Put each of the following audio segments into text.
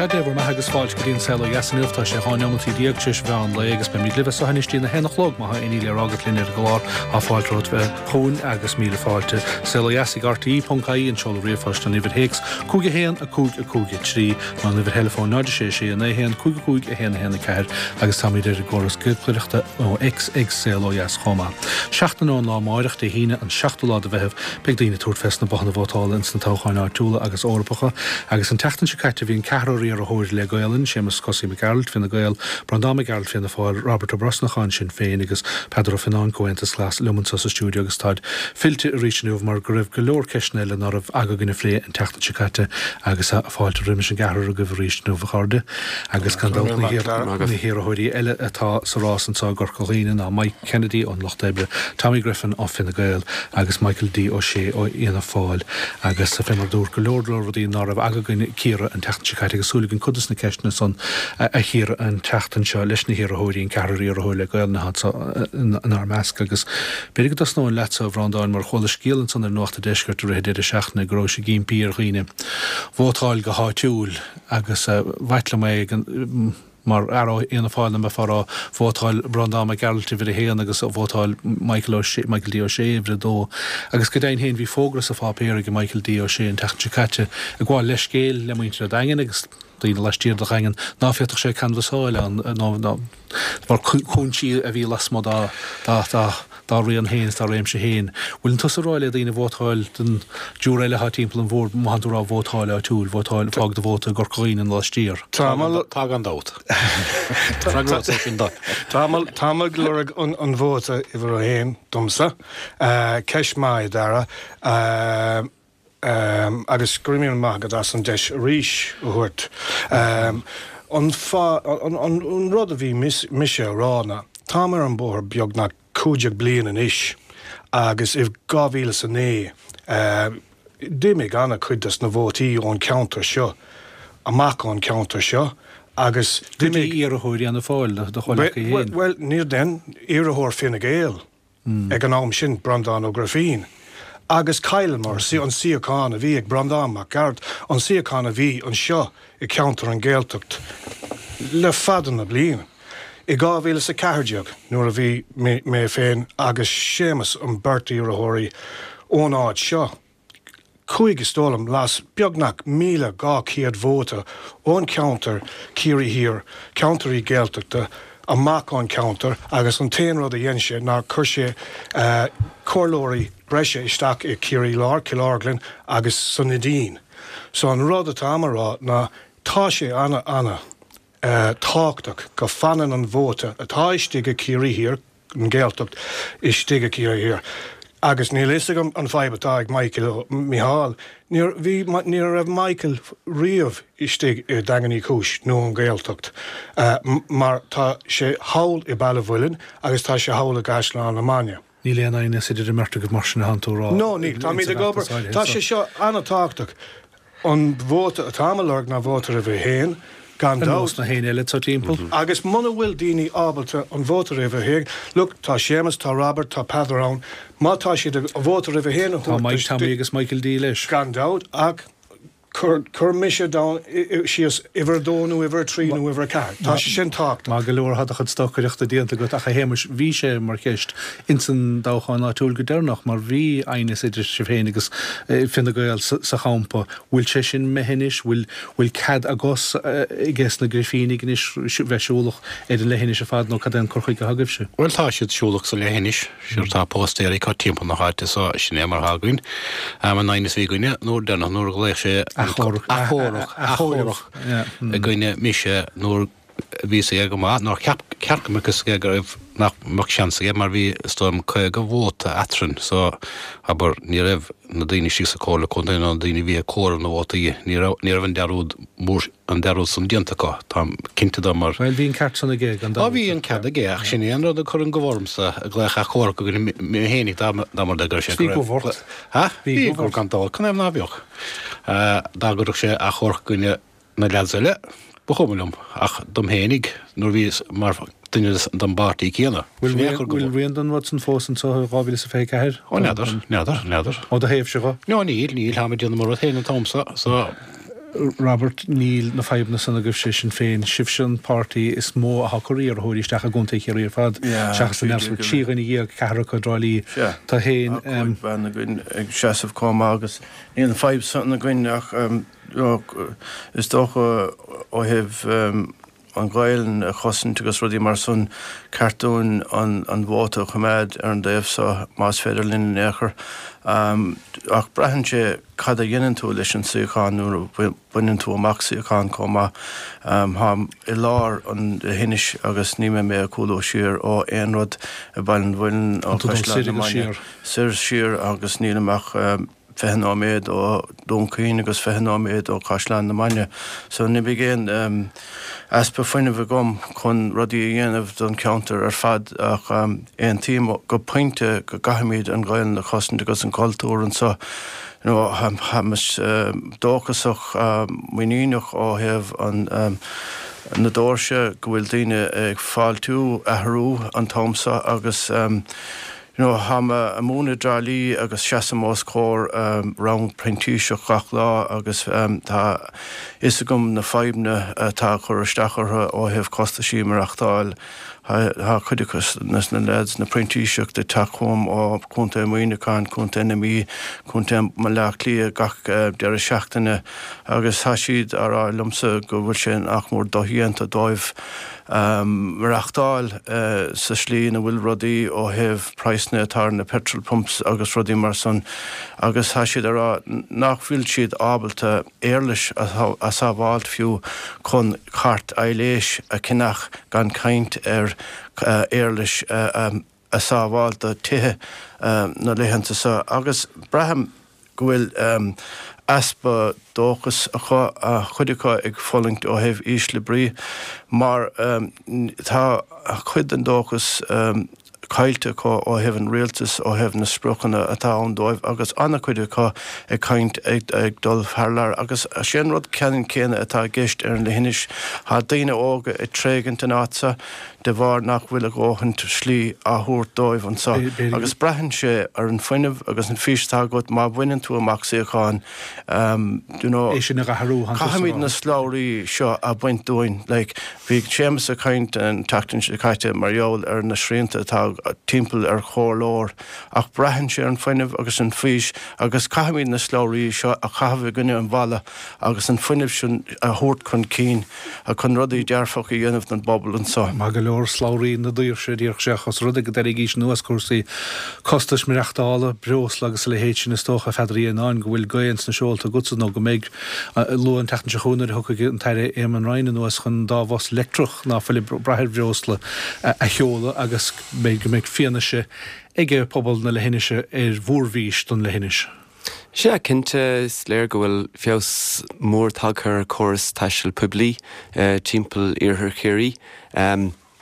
Sea, Dé bhur mbeatha agus fáilte go dtí an Saol Ó Dheas inniu. Tá sé 12 neomataí tar éis mheán lae agus beimid libh as seo anois dtí na haon a chlog. Má tá aon ní le rá agat linn ar an gclár, tá fáilte romhat bheith chugainn agus míle fáilte. Saol Ó Dheas ag RTE.ie an seoladh ríomhphoist an uimhir théacs 5 1 5 5 3 nó an uimhir theileafóin 0 6 6 9 1 5 5 1 1 4 agus táimid ar an gcóras giolcaireachta nó X ag Saol Ó Dheas chomh maith. Seachtain ón lá amáireach, Dé hAoine, an seachtú lá de Mheitheamh, Beidh daoine ag tabhairt fés na bothanna vótála ins na toghcháin áitiúla agus Eorpacha agus an tseachtain seo caite bhí an ceathrar iarrthóir le Gaolainn, Séamus Cosaí Mac Gearailt, Fine Gael, Breandán Mac Gearailt, Fianna Fáil, Robert Ó Brosnacháin, Sinn Féin, agus Peadar Ó Fionnáin, Comhaontas Glas, liom anso sa stiúideo agus táid fillte arís inniu mar go raibh go leor ceisteanna eile ná raibh aga againn a phlé an tseachtain seo caite agus fáilte roimis an gceathrar agaibh arís inniu a chairde. Agus gan dabht na hiarrthóirí eile atá sa rás anso i gCorca Dhuibhne ná Mike Kennedy ón Lucht Oibre, Tommy Griffin ó Fine Gael agus Michael D Ó Sé ó Fhianna Fáil. Agus fé mar a dúrt, go leor leor rudaí ná raibh aga againn cíoradh an tseachtain seo caite agus súil againn cuid des na ceisteanna san a chíoradh an tseachtain seo leis na hiarrthóirí, an ceathrar iarrthóir le Gaolainn atá anso inár measc. Agus b'fhéidir go dtosnóinn leatsa, a Bhreandáin, mar chuala scéal ansan ar Nuacht an Deiscirt i rith an deireadh seachtaine go rabhais ag impí ar dhaoine vótáil go háitiúil agus b'ait liom é ag an Mar fhear ó Fhianna Fáil dá mbeifeá a rá vótáil Breandán Mac Gearailt uimhir a haon agus vótáil Michael Ó Sé, Michael D Ó Sé uimhir a dó. Agus go deimhin féin bhí fógra sa pháipéar ag Michael D Ó Sé an tseachtain seo caite ag gabháil leithscéil le muintir an Daingin agus daoine laistiar de Dhaingean ná féadfadh sé canbhasáil ann nó de bharr cúinsí a bhí lasmuigh dá dá dá dá raon féin is dá réimse féin. Bhfuileann tusa ag rá le daoine vótáil don dtriúr eile atá timpeall an bhoird, má thánn tú ag rá vótáil áitiúil, vótáil, fág do vóta i gCorca Dhuibhne nó laistiar? Tá gan dabht. Táim ag lorg an vóta uimhir a haon domsa. Ceist maith, a Dhara. Agus go raibh míle maith agat as an deis arís a thabhairt. An fáth, an rud a bhí mise a rá ná, táim ar an bóthar beagnach 15 bliain anois agus i 2009 d'imigh an-chuid des na vótaí ón cheantar seo amach ón cheantar seo agus d'imigh. Go dtí iarrthóir Fhianna Fáil, do chomhleacaí féin. Bhuel, níor den, iarrthóir Fine Gael. Ag an am sin, Breandán Ó Grifín agus chailleamar an suíochán a bhí ag Breandán Mac Gearailt, an suíochán a bhí anseo i gceantar an Ghaeltacht le fada na bliana. I 2014, nuair a bhí mé féin agus Séamus an beirt iarrthóirí ón áit seo, Chuaigh, is dóigh liom, las beagnach 1,200 vóta ón cheantar Ciarraí Thiar, ceantairí Gaeltachta, amach ón cheantar agus an t-aon rud a dhein sé ná chuir sé comhairleoirí breise isteach i Ciarraí Láir, Cill Orglan agus sa Neidín. So an rud atáim a rá ná tá sé ana, ana tábhachtach go fanann an vóta atá istigh i Ciarraí Thiar, an Ghaeltacht istigh i Ciarraí Thiar. Agus níl a fhios agam an fadhb atá ag Michael, Micheál, níor bhí, ní raibh Michael riamh istigh i Daingean Uí Chúis nó an Ghaeltacht mar tá sé thall i Baile Mhuilinn agus tá sé thall i gCaisleán na Mainge. Níl aon aighneas idir an mbeirt agaibh mar sin a thánn tú a rá. No, níl. Táimid ag obair. Tá sé seo an-tábhachtach. An vóta atáim a lorg ná vóta uimhir a haon, gan dabht. Ar nós na héinne eile atá timpeall. Agus muna bhfuil daoine ábalta an vóta uimhir a haon, look, tá Séamus, tá Robert, tá Peadar ann, má tá siad ag vóta uimhir a haon a thabhairt. Tá Mike, Tommy agus Michael D leis. Gan dabht, ach Cuir mise down síos uimhir a dó nó uimhir a trí nó uimhir a ceathair. Tá sé sin tábhachtach. Maith go leor, tá do chuid stocaireachta déanta agat ach a Shéamais, bhí sé mar cheist ins an dtoghchán áitiúil go deireanach mar bhí aighneas idir sibh féin agus Fine Gael sa champa. Bhfuil sé sin imithe anois? Bhfuil bhfuil cead ages ages na Grifínigh anois bheith siúlach ar an leithinis ar fad nó cad é an cur chuige atá agaibhse? Bhuel tá siad siúlach sa leithinis. Sure tá póstaeir acu timpeall na háite so sin é mar atá againn. An aighneas a bhí againne nuair deireanach nuair a ghlaoch sé Achomharc achomharc i gcoinne mise nuair a bhí fhios aige go maith nár cheap ceart go mbeadh fhios aige go raibh nach mbeadh seans aige mar bhí is dóigh liom 50 vóta eatrainn so abair ní raibh na daoine istigh sa Comhairle Contae nó na daoine a bhí ag comhaireamh na vótaí ní raibh ní raibh an dearúd mór an dearúd san déanta acu, táim cinnte de mar. Bhuel, bhí an ceart san aige, gan dabht. Á, bhí an cead aige, ach sin é an rud a chuir an gomh ormsa, ag glaoch achomharc i gcoinne mé fhéinig dá mba rud é go raibh sé. Bhí gomh ort. Ha? Bhí gomh gan dabht, canathaobh ná beadh? Dá gcuirfeadh sé achomharc i gcoinne na leaids eile, ba chuma liom, ach dom fhéinig, nuair a bhíos mar duine den bpáirtí céanna. Bhfuil rian den rud san fós anso i 2024? Ó, n'fheadar, n'fheadar, n'fheadar. Ó do thaobhse dho? No, níl, níl, táim ag déanamh mo rud féin an t-am so, so. Robert, Níl na fadhbanna san agaibhse, Sinn Féin. Sibhse an páirtí is mó atá ag cur iarrthóirí isteach i gContae Chiarraí ar fad, seachas an Neamhspleách. 13 dhuine, ceathrar acu i dTrá Lí. Tá féin. Tá 5 bean againn ag seasamh chomh maith agus níl an fadhb san againn ach is dócha ó thaobh an Ghaelainn a chosaint agus rudaí mar san, ceart dúinn an vóta a choimeád ar an dtaobh so más féidir linn in aon chor. Ach braitheann sé cad a dhéanann tú leis an suíochán nuair a bhaineann tú amach suíochán chomh maith. Táim i lár an leithinis agus ní mbeidh mé ag cúlú siar ó aon rud i Baile an Mhuilinn, ó Chaisleán na Mainge, soir siar agus nílim ach 20 nóiméad ó Dún Chaoin agus 20 nóiméad ó Chaisleán na Mainge. So ní bheidh aon easpa fuinnimh agam chun rudaí a dhéanamh don cheantar ar fad ach aontaím go pointe go gcaithfimid an Ghaelainn a chosaint agus an cultúr anseo. You know, táim dóchasach, muiníneach ó thaobh an na doirse go bhfuil daoine ag fáiltiú athrú an t-am seo agus You know, táim ag múineadh i dTrá Lí agus seasaim os comhair rang printíseach gach lá agus tá fhios agam na fadhbanna atá ag cur isteach orthu ó thaobh costaisí maireachtáil. Tá cuid acu na lads, na printíseach ag teacht chugam ó Contae Muineacháin, Contae na Mí, Contae Bhaile Átha Cliath gach deireadh seachtaine agus tá siad á rá liomsa go bhfuil sé nach mór dodhéanta dóibh maireachtáil sa slí ina bhfuil rudaí ó thaobh praghsanna atá ar na petrol pumps agus rudaí mar san agus tá siad ag rá nach bhfuil siad ábalta éarlais a sábháilt fiú chun cairt aibhléis a cheannach gan caint ar éarlais a sábháilt do tithe na laethanta seo agus braithim go bhfuil easpa dóchais acu, cuid acu ag fulaingt ó thaobh ísle brí, mar tá cuid den dóchas caillte acu ó thaobh an rialtais, ó thaobh na spriocanna atá ann dóibh agus an-chuid acu ag caint ag dul thar lear. Agus sé an rud ceannann céanna atá i gceist ar an leithinis, tá daoine óga ag tréigint an áit seo, de bharr nach bhfuil a dhóthain slí á thabhairt dóibh anseo agus braitheann sé ar an fuinneamh agus an fís atá agat má bhaineann tú amach suíochán you know. É sin a athrú, Caithfimid na slabhraí seo a bhaint dúinn like bhí Séamus ag caint an tseachtain seo caite mar gheall ar na srianta atá timpeall ar chomhairleoir ach braitheann sé ar an fuinneamh agus an fís agus caithfimid na slabhraí seo a chaitheamh i gcoinne an bhalla agus an fuinneamh sin a thabhairt chun cinn chun rudaí dearfacha a dhéanamh don bpobal anseo. Maith go leor, slabhraí na daoirse, a déarfadh sé, ach os rud é go dteilgís anuas cúrsaí costais maireachtála, breosla agus a leithéid sin, is dócha, a Pheadair Uí Fhionnáin, go bhfuil gaoth ins na seolta agatsa nó go mbeidh, luath an tseachtain seo chugainn nuair a thiocfaidh an tAire Eamon Ryan anuas chun an dá bhus leictreach ná fuil ag brath ar bhreosla a sheoladh agus go mbeidh fianaise ag pobal na leithinise ar mhórfhís don leithinis. Sea, cinnte, is léir go bhfuil feabhas mór tagtha ar chóras taistil poiblí timpeall iarthar Chiarraí.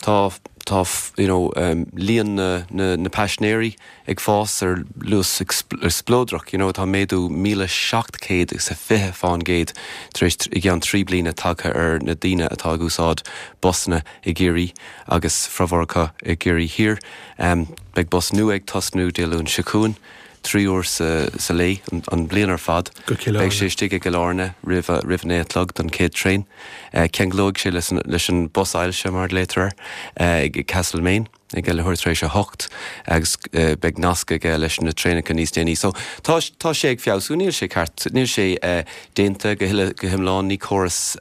Tá, tá, you know, líon na, na, na paisinéirí ag fás ar luas spleodrach, you know, tá méadú 1,720 fán gcéad tar éis, i gceann 3 bliana tagtha ar na daoine atá ag úsáid busanna i gCiarraí agus formhór acu i gCiarraí Thiar. Beidh bus nua ag tosnú Dé Luain seo chugainn. 3 uair sa lae an bhliain ar fad. Go Cill Airne. Beidh sé istigh i gCill Airne roimh roimh a naoi a chlog don chéad traein. Ceanglóidh sé leis an bus ailse, mar a ghlaotar air, ag Castlemaine ag leathuair tar éis a hocht agus beidh nasc aige leis na traenacha níos déanaí. So tá tá sé ag feabhsú, níl sé ceart, níl sé déanta go huile go hiomlán, ní córas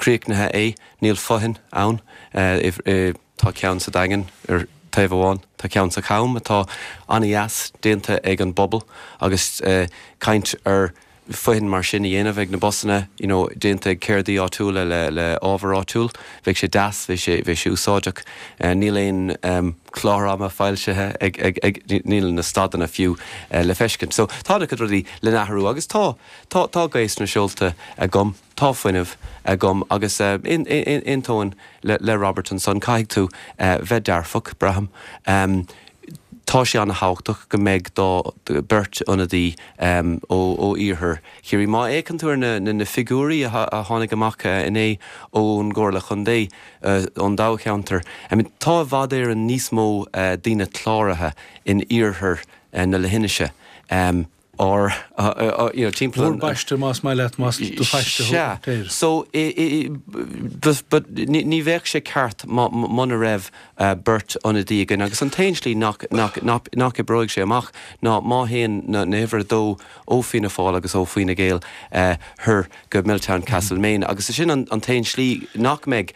críochnaithe é, níl fothoinn ann i Tá ceann sa Daingean ar taobh amháin, tá ceann sa Cham atá an-dheas, déanta ag an bpobal agus caint ar fothoinn mar sin a dhéanamh ag na busanna, you know, déanta ag ceardaí áitiúla le le ábhar áitiúil. Bheadh sé deas, bheadh sé bheadh sé úsáideach. Níl aon clár ama foilsithe ag ag ag níl na stadanna fiú le feiscint. So tá an-chuid rudaí le n-athrú agus tá tá tá gaoth sna seolta agam. Tá fuinneamh agam agus aontaím le Robert ansan, caithfidh tú bheith dearfach, braithim. Tá sé ana-thábhachtach go mbeidh dá beirt ionadaí ó iarthar Chiarraí. Má fhéachann tú ar na figiúirí a tháinig amach inné ón gComhairle Chontae, ón dtoghcheantar, tá i bhfad Éireann níos mó daoine cláraithe in iarthar na leithinise. ár, you know, timpeall an. Bhur bpaiste más maith leat, más do phaiste thú. Sea. So, but ní bheadh sé ceart muna raibh beirt ionadaí againn agus an t-aon slí nach, nach, nach oibreoidh sé amach ná má théann na huimhir a dó ó Fianna Fáil agus ó Fine Gael thoir go Milltown Castlemaine agus sin an t-aon slí nach mbeidh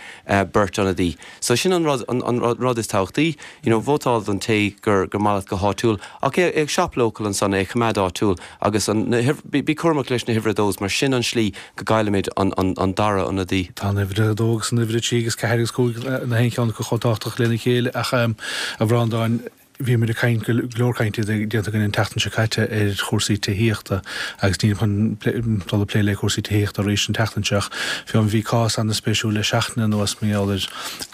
beirt ionadaí. So sin an rud, an rud is tábhachtaí, you know, vótáil don té gur maith leat go háitiúil ach é ag shop local ansan, é a choimeád áitiúil agus an, bí cúramach leis na huimhir a dós mar sin an slí go gcaillimid an dara ionadaí. Tá an uimhir a dó agus an uimhir a trí agus ceathair agus cúig na haon cheann acu chomh tábhachtach lena chéile ach a Bhreandáin, Bhí muid ag caint, go leor cainte déanta againn an tseachtain seo caite ar chúrsaí tithíochta agus nílim chun dul ag plé le cúrsaí tithíochta arís an tseachtain seo ach fiú bhí cás an-spéisiúil le seachtain anuas mar gheall ar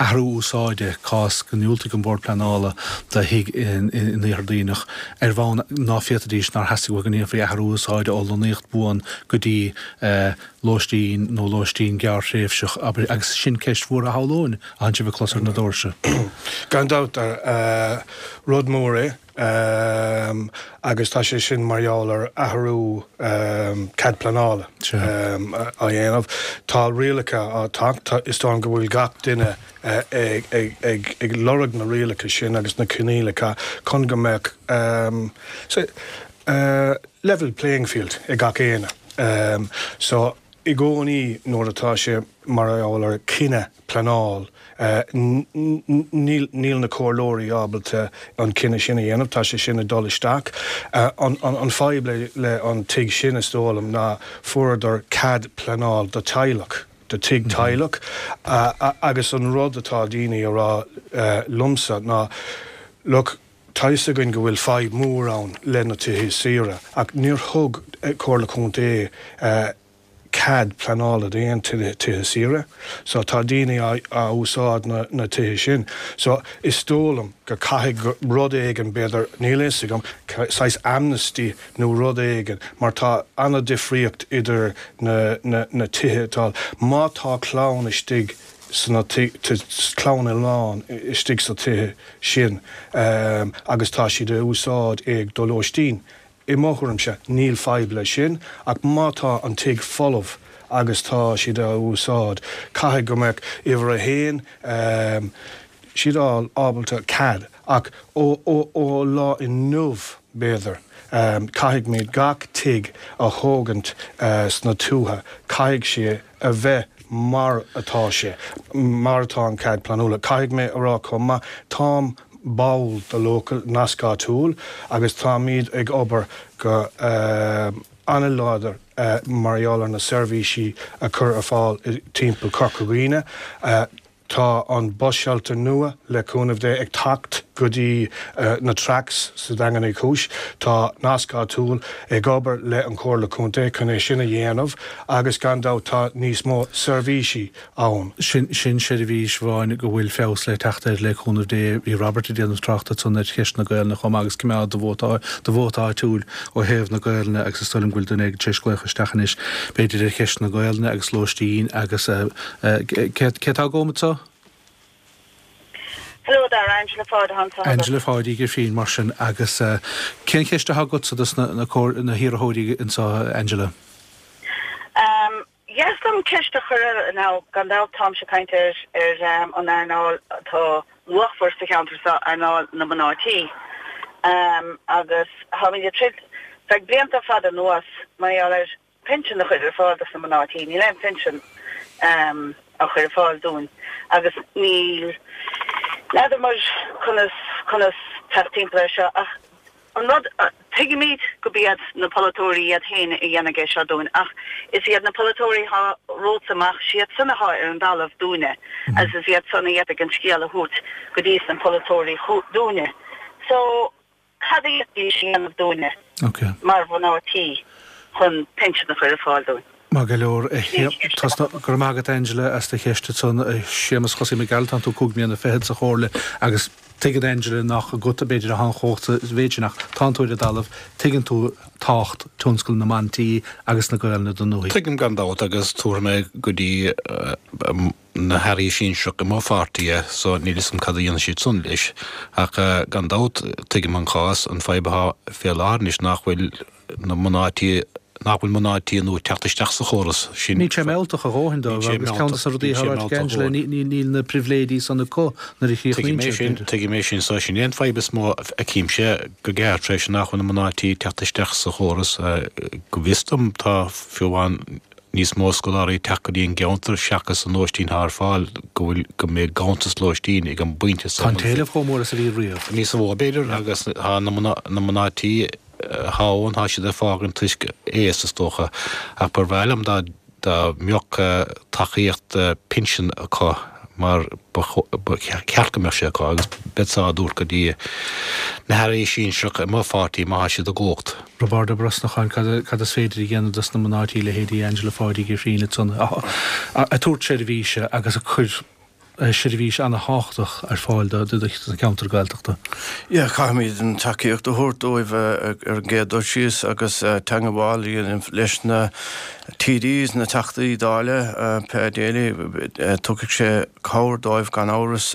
athrú úsáide, cás go ndiúltaigh an Bord Pleanála do thigh in Iarthar Duibhneach ar bhonn ná féadfaidís, nár theastaigh uathu go ndéanfaí athrú úsáide ó lonnaíocht buan go dtí lóistín nó lóistín gearrthréimhseach, abair, agus sin ceist mhór a shamhlóinn a tánn sibh ag clos ar na doirse. Gan dabht, rud mór é agus tá sé sin mar gheall ar athrú cead pleanála á dhéanamh. Tá rialacha á teacht, is dóigh liom go bhfuil gach duine ag lorg na rialacha sin agus na coinníollacha chun go mbeadh level playing field ag gach éinne. So, i gcónaí nuair atá sé mar gheall ar chinneadh pleanáil, níl níl na comhairleoirí ábalta an cinneadh sin a dhéanamh, tá sé sin ag dul isteach. An fadhb le le an tigh sin is dóigh liom ná fuaireadar cead pleanáil do teaghlach, do tigh teaghlach agus an rud atá daoine a rá liomsa ná look, Tá fhios againn go bhfuil fadhb mór ann le na tithe saoire ach níor thug Comhairle Contae cead pleanála d'aon tithe saoire so tá daoine á úsáid na tithe sin. So is dóigh liom go caithfidh rud éigin b'fhéidir, níl fhios agam, saghas amnesty nó rud éigin mar tá an-difríocht idir na tithe atá, má tá clann istigh sna clann iomlán istigh sna tithe sin agus tá siad a úsáid é do lóistín. I mo thuairimse, níl fadhb leis sin, ach má tá an tigh folamh agus tá siad á úsáid, caithfidh go mbeadh uimhir a haon, siad ábalta cead, ach ó lá inniu, b'fhéidir, caithfidh gach tigh a thógaint sna tuaithe, caithfidh sé a bheith mar atá sé, mar atá an cead pleanála. Caithfidh mé a rá chomh maith, táim ball de local Nasc Áitiúil agus táimid ag obair go an-láidir mar gheall ar na seirbhísí a chur ar fáil timpeall Corca Dhuibhne. Tá an bus shelter nua, le cúnamh Dé, ag teacht go dtí na tracks sa Daingean Uí Chúis. Tá Nasc Áitiúil ag obair le an Chomhairle Contae chun é sin a dhéanamh agus gan dabht tá níos mó seirbhísí ann. Sin seirbhís amháin go bhfuil feabhas le teacht air le cúnamh Dé. Bhí Robert ag déanamh trácht ansan ar cheist na Gaelainne chomh maith agus coimeád do vóta do vóta áitiúil ó thaobh na Gaelainne agus is dóigh liom go bhfuil duine éigin tar éis glaoch isteach anois b'fhéidir ar cheist na Gaelainne agus lóistín agus Cé atá agam anseo? Hello there, Angela Pháid atá anseo agat. Angela Pháid Uí Ghrifín, mar sin. Agus cén cheist atá agatsa dos na hiarrthóirí anseo, Angela? Dheas dom ceist a chur ar, now, gan dabht táimse ag caint ar ar an earnáil atá luachmhar sa cheantar seo, earnáil na mná tí. Agus táimid ag troid feadh blianta fada anuas mar gheall ar pinsean a chur ar fáil dos na mná tí. Níl aon phinsean á chur ar fáil dúinn agus níl, n'fheadar muid conas, conas teacht timpeall air seo ach an rud, tuigimid gurb iad na polaiteoirí iad féin a dhéanfaidh é seo dúinn ach is iad na polaiteoirí atá romhatsa amach, siad san atá ar an dtalamh dúinne agus is iad san a d'fhéadfadh an scéal a thabhairt go dtí na polaiteoirí dúinne. So. Cad a d'fhéadfaidís a dhéanamh dúinne mar mhná tí chun pinsean a chur ar fáil dúinn? Maith go leor. Go raibh maith agat Angela as do cheist ansan. A Shéamus Chosaí Mac Gearailt, tánn tú cúig mbliana fichead sa Chomhairle agus. Tuigeann Angela nach agat b'fhéidir atá an chumhacht sa mhéid sin ach tánn tú ar an dtalamh, tuigeann tú tábhacht tionscal na mban tí agus na Gaelainne don ndúthaigh. Tuigim gan dabht agus tabharfaidh mé go dtí na hairí sinsearach i mo pháirtí é so níl 'fhios a'm cad a dhéanfaidh siad san leis ach gan dabht tuigim an cás, an fadhb atá fé láthair anois nach bhfuil na mná tí, nach bhfuil mná tí nua ag teacht isteach sa chóras sin. Níl sé mealltach a dhóthain dóibh agus ceann de na rudaí atá ráite ag Angela, níl na pribhléidí san acu nuair a chríochnaíonn siad, b'fhéidir. Tuigim é sin, so sin é an fadhb is mó a fheicimse go gearr tar éis nach bhfuil na mná tí ag teacht isteach sa chóras. Go bhfios dom tá fiú amháin níos mó scoláirí ag teacht go dtí an gceantar seachas an lóistín atá ar fáil, go bhfuil, go mbeidh ganntanas lóistín ag an bpointe so. Tá an t-éileamh chomh mór is a bhí riamh. Níos mó b'fhéidir agus tá na mná tí atá ann, tá siad ag fágaint toisc aois is dócha, ach ba bhreá liom dá dá mbeadh tacaíocht pinsin acu mar ba cheart go mbeadh sé acu agus beadsa á dtabhairt go dtí na hairí sinsearacha i mo pháirtí má tá siad i gcumhacht. Roibeárd Ó Brosnacháin, cad is féidir a dhéanamh dos na mná tí, leithéidí Angela Pháidí Uí Ghrífín ansan, ag tabhairt seirbhíse agus ag cur seirbhís ana-thábhachtach ar fáil do cheantar Gaeltachta. Yeah, caithfimid an tacaíocht a thabhairt dóibh ar an gcéad dul síos agus teangmháil a dhéanamh leis na TDs, na Teachtaí Dála, Pa Daly, tugfaidh sé cabhair dóibh gan amhras.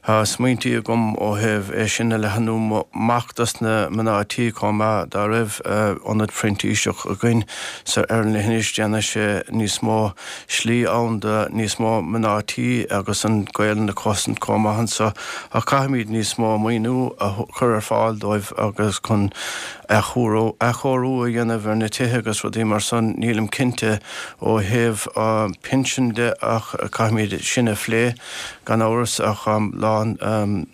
Tá smaointí agam ó thaobh é sin a leathanú amach dos na mná tí chomh maith. Dá raibh ionad printíseach againn sa ar an leithinis déanfaidh sé níos mó slí ann do níos mó mná tí agus an Ghaelainn a chosaint chomh maith anso ach caithfimid níos mó maoiniú a chur ar fáil dóibh agus chun athchóiriú a dhéanamh ar na tithe agus rudaí mar san. Nílim cinnte ó thaobh pinsin de ach caithfimid sin a phlé gan amhras ach lán 100%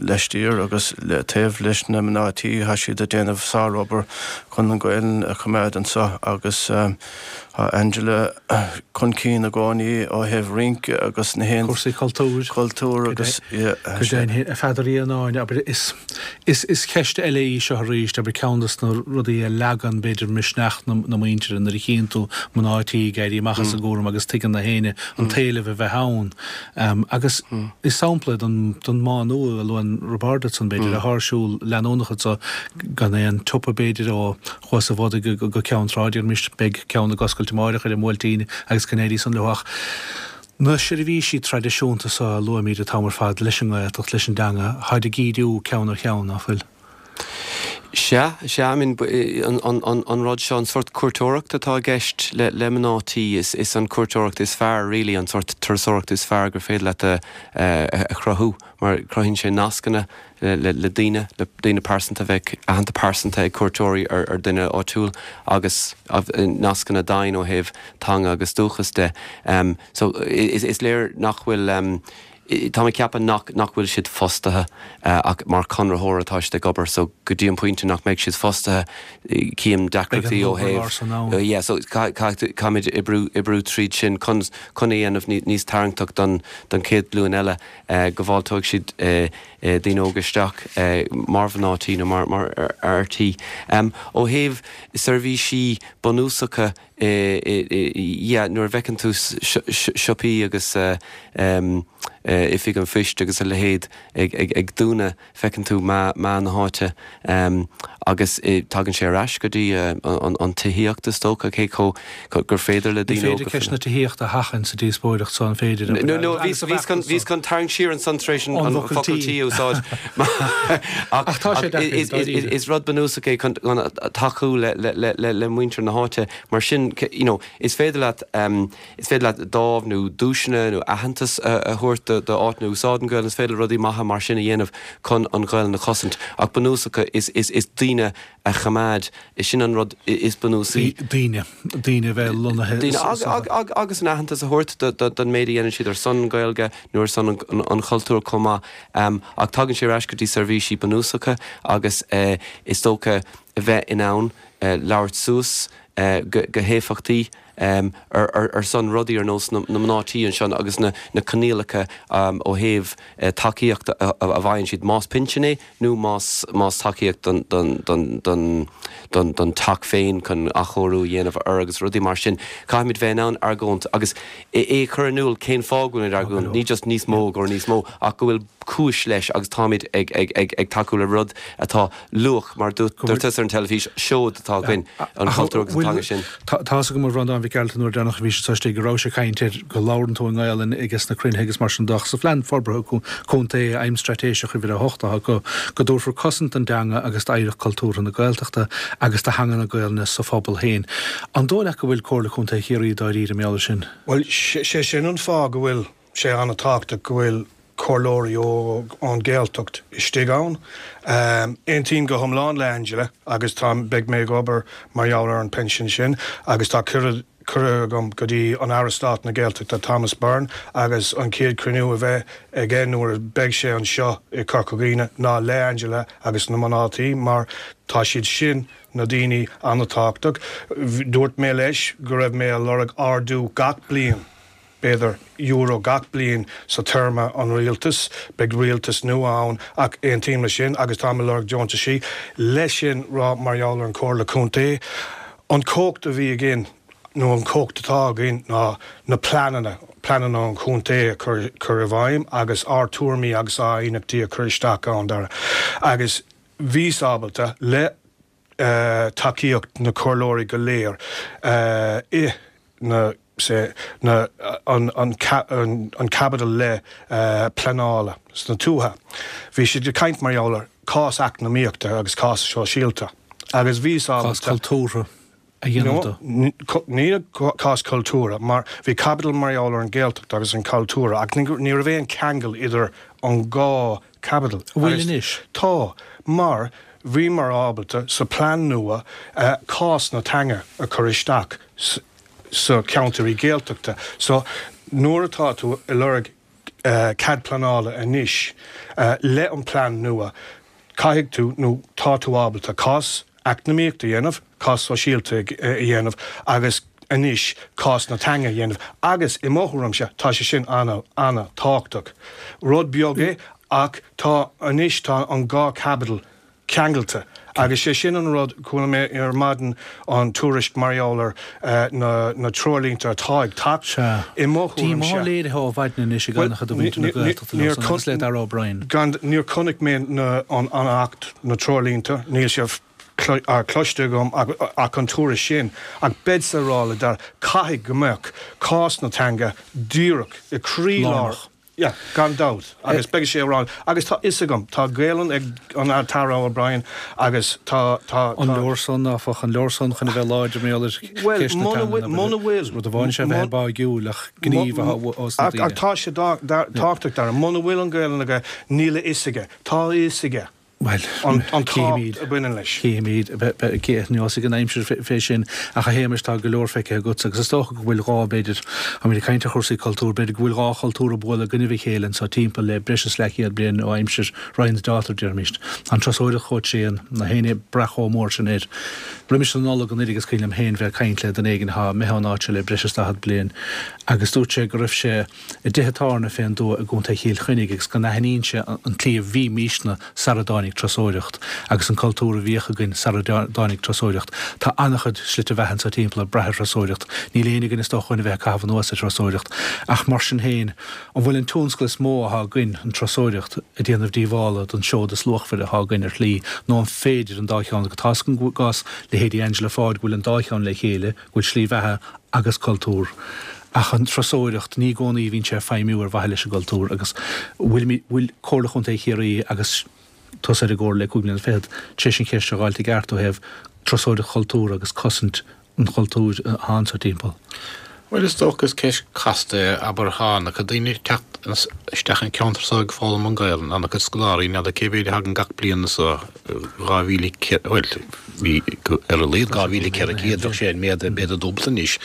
laistiar agus le taobh leis na mná tí tá siad ag déanamh sárobair chun an Ghaelainn a choimeád anso agus Tá Angela chun cinn i gcónaí ó thaobh rince agus na haon. Cúrsaí cultúir. Cultúr agus, yeah. Go deimhin, a Pheadair Uí Annáin, abair, is, is, is ceist eile í seo arís, abair, ceann de na rudaí a leagann, b'fhéidir, misneach na, na muintire nuair a chíonn tú mná tí ag éirí amach as an gcúram agus tuigeann na héinne an t-éileamh a bheith ann. Agus is sampla é den, den mbánú a luann Roibeárd ansan, b'fhéidir, atá ar siúl leanúnach anso gan aon tsiopa, b'fhéidir, ó Chuas an Bhodaigh go Ceann Trá, déarfaimis, beidh ceann ag oscailt amáireach ar an mBuailtín agus go n-éirí san leo ach na seirbhísí traidisiúnta so a luaimid an t-am ar fad leis an nGaeltacht, leis an dteanga, táid ag ídiú ceann ar cheann, ná fuil? Sea, sea, I mean, an rud seo, an sórt cuairteoireacht atá i gceist le mná tí, is an cuairteoireacht is fearr really, an sórt turasóireacht is fearr gur féidir leat a chruthú mar cruthaíonn sé nascanna le daoine, le daoine pearsanta, bheadh aithne pearsanta ag cuairteoirí ar dhuine áitiúil agus nascanna daingne ó thaobh teanga agus dúchas de. So is léir nach bhfuil, tá mé ag ceapadh nach nach bhfuil siad fostaithe ach mar conraitheoir atá siad ag obair so go dtí an pointe nach mbeidh siad fostaithe cím deacrachtaí ó thaobh, yeah so caithfimid oibriú oibriú tríd sin chun chun é a dhéanamh níos tarraingteach don don chéad ghlúin eile. go bhfáilteoidh siad daoine óga isteach mar mhná tí nó mar fhear tí. Ó thaobh seirbhísí bunúsacha yeah nuair a bhfeiceann tú siopaí agus oifig an phoist agus a leithéid ag dúnadh, Feiceann tú meath na háite agus tagann sé ar ais go dtí an tithíocht is dócha, cé chomh gur féidir le daoine óga. Ní féidir ceist na tithíochta a sheachaint sa díospóireacht so, an féidir? No, no, bhíos chun tarraingt siar ansan tar éis an focal tí a úsáid. Ach tá sé deacair, dáiríre. Is rud bunúsach é chun tacú le muintir na háite. Mar sin, you know, is féidir leat. Is féidir leat dámh nó duaiseanna nó aitheantas a thabhairt do áiteanna a úsáideann Gaelainn. Is féidir rudaí maithe mar sin a dhéanamh chun an Ghaelainn a chosaint. Ach bunúsach is daoine a choimeád, sin an rud is bunúsaí. Daoine. Daoine a bheith lonnaithe sa. Daoine agus an aitheantas a thabhairt don méid a dhéanann siad ar son an Ghaeilge nó ar son an chultúir chomh maith. Ach tagann sé ar ais go dtí seirbhísí bunúsacha agus is dócha a bheith in ann labhairt suas. go héifeachtaí ar son rudaí ar nós na mná tí anseo agus na coinníollacha ó thaobh tacaíocht a bhfaigheann siad, más pinsean é nó más más tacaíocht don don don don don teach féin chun athchóiriú a dhéanamh air agus rudaí mar sin. Caithfimid bheith in ann argóint agus é a chur in iúl cén fáth go bhfuilimid ag argóint, ní just níos mó gur níos mó ach go bhfuil cúis leis agus táimid ag ag ag ag tacú le rud atá luach, mar dúirt tusa ar an teilifís, seoid atá againn, an cultúr agus an teanga sin. Tá's agam a Bhreandáin Mhic Gearailt an uair deireanach a bhí sé istigh go raibh sé ag caint air go labhrann tú i nGaelainn ages na cruinnithe agus mar sin de ach sa Phlean Forbartha Contae, Aidhm Straitéiseach Uimhir 8 atá acu, go dtabharfar cosaint don dteanga agus d'oidhreacht cultúrtha na Gaeltachta agus do theanga na Gaelainne sa phobal féin. An dóigh leat go bhfuil Comhairle Contae Chiarraí dáiríre mar gheall air sin? Bhuel, sé sin an fáth go bhfuil sé an-tábhachtach go bhfuil comhairleoirí ón Ghaeltacht istigh ann. Aontaím go hiomlán le Angela agus tá, beidh mé ag obair mar gheall ar an bpension sin agus tá cuireadh, cuireadh agam go dtí an Aire Stáit na Gaeltachta Thomas Byrne agus an chéad chruinniú a bheidh aige nuair a beidh sé anseo i Corca Dhuibhne ná le Angela agus na mná tí mar tá siad sin na daoine an-tábhachtach. Dúirt mé leis go raibh mé a lorg ardú gach bliain. b'fhéidir, euro gach bliain sa téarma an rialtas. Beidh rialtas nua ann ach aontaím le sin agus táim ag lorg deontaisí. Leis sin rá mar gheall ar an Chomhairle Contae, an chumhacht a bhí againn nó an chumhacht atá againn ná na pleananna, pleananna an chontae a chur chur i bhfeidhm agus ár tuairimí agus ár aighneachtaí a chur isteach ann, Dara. Agus bhíos ábalta le tacaíocht na comhairleoirí go léir i na sé na an an an caibidil le pleanála sna tuaithe. Bhí siad ag caint mar gheall ar cás eacnamaíochta agus cás sóisialta agus bhíos ábalta. Cás cultúrtha a dhéanamh de. Ní cás cultúrtha mar bhí caibidil mar gheall ar an Ghaeltacht agus an cultúr ach ní raibh aon cheangal idir an dhá Caibidil. An bhfuil anois? Tá, mar bhíomar ábalta sa plean nua cás na teanga a chur isteach sa cheantair Gaeltachta. So nuair atá tú ag lorg cead pleanála anois le an plean nua, caithfidh tú nó tá tú ábalta cás eacnamaíochta a dhéanamh, cás sóisialta a dhéanamh agus anois cás na teanga a dhéanamh agus i mo thuairimse tá sé sin an-an-tábhachtach. Rud beag é ach tá anois tá an dá chaibidil ceangailte agus sé sin an rud, chuala mé ar maidin an tuairisc mar gheall ar na na treoirlínte atá ag teacht, Sea. i mo thuairimse. Díomá léirithe ó mhaidin anois ag an-chuid de mhuintir na Gaeltachta leo san agus le Darragh O'Brien. Gan, níor chonaic mé na an an Acht, na treoirlínte, níl sé cloiste agam ach an tuairisc sin, ach beadsa ag rá le Dara, caithfidh go mbeadh cás na teanga díreach i croílár, yeah, gan dabht, agus beidh sé ag rá, agus tá fhios agam, tá Gaelainn ag an tAire O'Brien agus tá, tá, tá. An leor san, áfach, an leor san chun a bheith láidir mar gheall ar cheist na teanga, muna bhfuil, rud amháin is ea bheith báigiúil ach gníomh a os na daoine. Ach tá sé tábhachtach, Dara, muna bhfuil an Ghaelainn aige, níl a fhios aige, tá a fhios aige. Bhuel, an tábhacht a bhaineann leis. Cífimid, neosfaidh an aimsir fé sin, ach a Shéamais, tá go leor feicthe agatsa agus is dócha go bhfuil dhá, b'fhéidir, táimid ag caint ar chúrsaí cultúir, b'fhéidir go bhfuil dhá chultúr ag bualadh i gcoinnibh a chéile anso timpeall le breis is leathchéad bliain ó aimsir Ryan's Daughter, déarfaimíst. Tá an turasóireacht chomh tréan, nach éinne ag brath chomh mór sin air. Roimis an Nollaig anuraidh is cuimhin liom féin bheith ag caint le duine éigin atá imithe ón áit seo le breis is 40 bliain agus dúirt sé go raibh sé i dtithe tábhairne fén dtuath i gContae Chill Chainnigh agus go n-aithníonn sé an tslí a bhímísne sara dtáinig turasóireacht agus an cultúr a bhíodh againn sara dtáinig turasóireacht. Tá an-chuid slite bheatha anso timpeall ag brath ar thurasóireacht. Níl éinne againn is dócha chun a bheith ag caitheamh anuas ar thurasóireacht. Ach mar sin féin, an bhfuil an tionscal is mó athá againn, an turasóireacht, ag déanamh díobhála don seod is luachmhaire athá againn ar shlí nó an féidir an dá cheann, tá a fhios agam i gcás leithéidí Angela Pháid go bhfuil an dá cheann le chéile, go bhfuil slí bheatha agus cultúr. Ach an turasóireacht, ní i gcónaí a bhíonn sé ag feidhmiú ar mhaithe leis an gcultúr agus bhfuil, bhfuil Comhairle Chontae Chiarraí agus tusa ar an gcomhairle le cúig bliana fichead tar éis an cheist seo a dh'fháilt i gceart ó thaobh turasóireacht chultúrtha agus cosaint an chultúir atá anso timpeall. Bhuel, is dócha is ceist casta é, abair, tá an-chuid daoine ag teacht isteach an ceantar so ag foghlaim an Ghaelainn, an-chuid scoláirí, n'fheadar cé mhéid a thagann gach bliain anso, 2,000, bhuel, bhí ar a laghad 2,400, bheadh sé an méad, b'fhéidir dúbailte anois.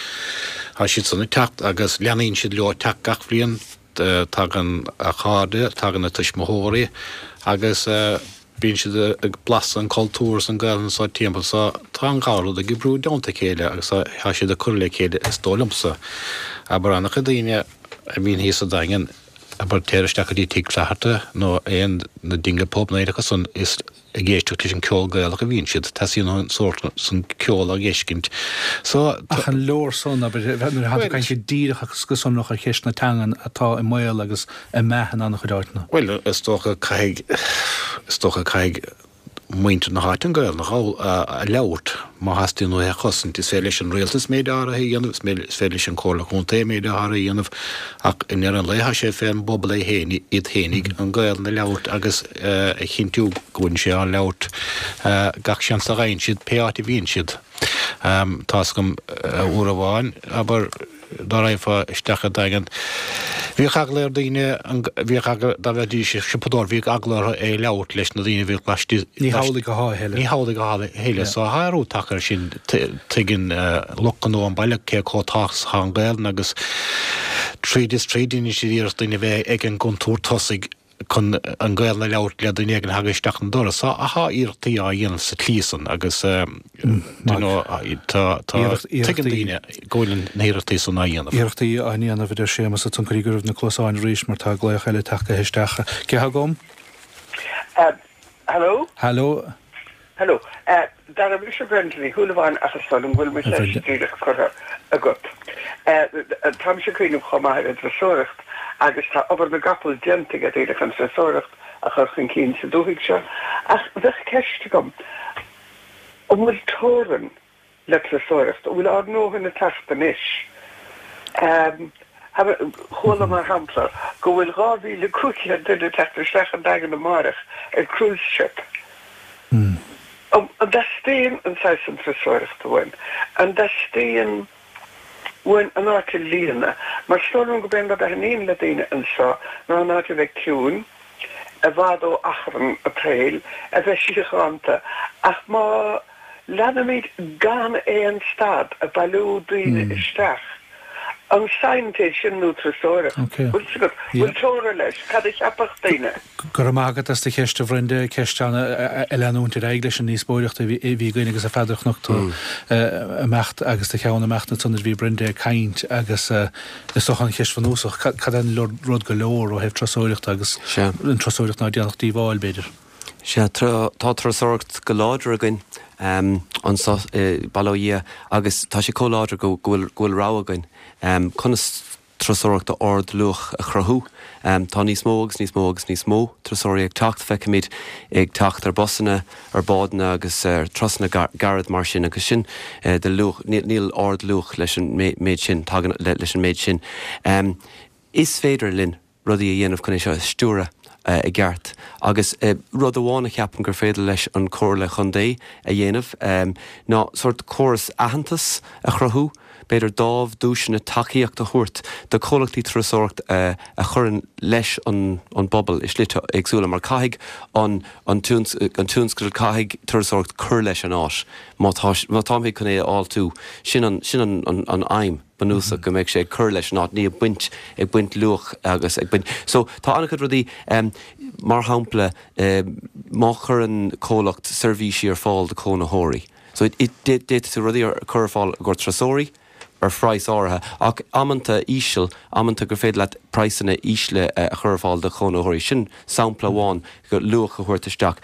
Tá siad san ag teacht agus leanaíonn siad leo ag teacht gach bhliain, tagann a chairde, tagann a tuismitheoirí agus. Bíonn siad ag blaiseadh an cultúr is an Gaelainn anso timpeall so tá an dhá rud ag oibriú i dteannta a chéile agus tá siad ag cur le chéile is dóigh liomsa. Abair an-chuid daoine a bhíonn thíos sa Daingean, abair téir isteach go dtí Tigh Flatharta nó aon na Dingle Pub nó aon acu san is ag éisteacht leis an ceol Gaelach a bhíonn siad. Teastaíonn an sórt san ceol á fheiscint. So tá. Ach an leor san, abair, nuair atá tú ag caint go díreach agus go sonrach ar cheist na teangan atá i mbaol agus ag meath in an-chuid áiteanna? Bhuel, is dócha caithfidh, is dócha caithfidh muintir na háite an Ghaelainn a labhairt má theastaíonn uathu é a chosaint. Is féidir leis an rialtas méid áirithe a dhéanamh, is féidir leis an Chomhairle Contae méid áirithe a dhéanamh ach i ndeireadh an lae tá sé fén bpobal é féin, iad féinig an Ghaelainn a labhairt agus a chinntiú go bhfuil sé á labhairt gach seans a fhaigheann siad, pé áit a bhíonn siad. Tá's agam uair amháin, abair, dá raghfá isteach i Daingean, bhíodh eagla ar daoine, bhíodh eagla, dá mbeidís ag siopadóireacht, bhíodh eagla orthu é a labhairt leis na daoine a bhíodh laistigh. Ní hamhlaidh atá a thuilleadh. Ní hamhlaidh atá a thuilleadh. So tá athrú tagtha air sin. Tuigeann lucht gnó an bhaile cé chomh tábhachtach is atá an Ghaelainn agus tríd is tríd déanann siad iarracht daoine a bheith ag an gcuntar tosaigh chun an Ghaelainn a labhairt le duine éigin a thagann isteach an doras. Tá iarrachtaí á dhéanamh sa tslí san agus you know tá tuigeann daoine go bhfuil na hiarrachtaí san á dhéanamh. Iarrachtaí á ndéanamh, a deir Séamus, a Tionchairí go raibh na cluasáin arís mar tá glaoch eile tagtha isteach. Cé atá agam? Hello? Hello? Hello. Dara, mise Brenda Ní Shúilleabháin ach is dóigh liom go bhfuil mo cheist díreach curtha agat. Táimse ag cuimhneamh chomh maith ar an dturasóireacht agus tá obair na gcapall déanta ag daoine chun turasóireacht a chur chun cinn sa dúthaigh seo ach bheadh ceist agam, an bhfuil teorainn le turasóireacht? An bhfuil ár ndóthain ag teacht anois? Chuala mar shampla go bhfuil 2,500 duine ag teacht isteach an Daingean amáireach ar cruise ship. An dteastaíonn an saghas san turasóireachta uainn? An dteastaíonn uainn an áit a líonadh? Mar is dóigh liom gurb é an rud a thaitníonn le daoine anseo ná an áit a bheith ciúin, i bhfad ó achrann an tsaoil, a bheith síochánta. Ach má leanaimid gan aon stad ag bailiú daoine isteach, an saint é sin nó turasóireacht? Bhfuil 's agat? Bhfuil teora leis? Cad a cheapfadh daoine? Go raibh maith agat as do cheist, a Bhrenda. Ceist ana ag leanúint ar aghaidh leis an ndíospóireacht a bhí againn agus a Pheadair chonac tú imeacht agus do cheann imeacht ansan nuair a bhí Brenda ag caint agus is dócha an cheist bhunúsach, cad é an rud go leor ó thaobh turasóireachta agus an turasóireacht ná déanfadh díobháil, b'fhéidir? Sea, tá turasóireacht go láidir againn anseo, bail ó Dhia, agus tá sé chomh láidir go bhfuil rogha againn conas turasóireacht d'ardluach a chruthú. Tá níos mó agus níos mó agus níos mó turasóirí ag teacht, feicimid ag teacht ar busanna, ar bhádanna agus ar turasanna gairid mar sin agus sin de luach, níl ardluach leis an méid sin, tagann leis an méid sin. Is féidir linn rudaí a dhéanamh chun é seo a stiúradh i gceart. Agus rud amháin a cheapaim gur féidir leis an Chomhairle Chontae a dhéanamh ná sórt córas aitheantas a chruthú, b'fhéidir dámh, duaiseanna, tacaíocht a thabhairt do chomhlachtaí turasóireachta a chuireann leis an bpobal i slite éagsúla mar caithfidh an tionscadal, caithfidh turasóireacht cur leis an áit má tá, má táimid chun é a fháiltiú, sin an, sin an aidhm. bunúsach, go mbeidh sé ag cur leis an áit, ní ag baint, ag baint luach agus ag baint. So, tá an-chuid rudaí, mar shampla, má chuireann comhlacht seirbhísí ar fáil do chónaitheoirí, so d'fhéadfadh tú rudaí a chur ar fáil i gcomhair turasóirí ar phraghas áirithe, ach amanta íseal, amanta gur féidir leat praghsanna ísle a chur ar fáil do chónaitheoirí. Sin sampla amháin, luach a thabhairt isteach.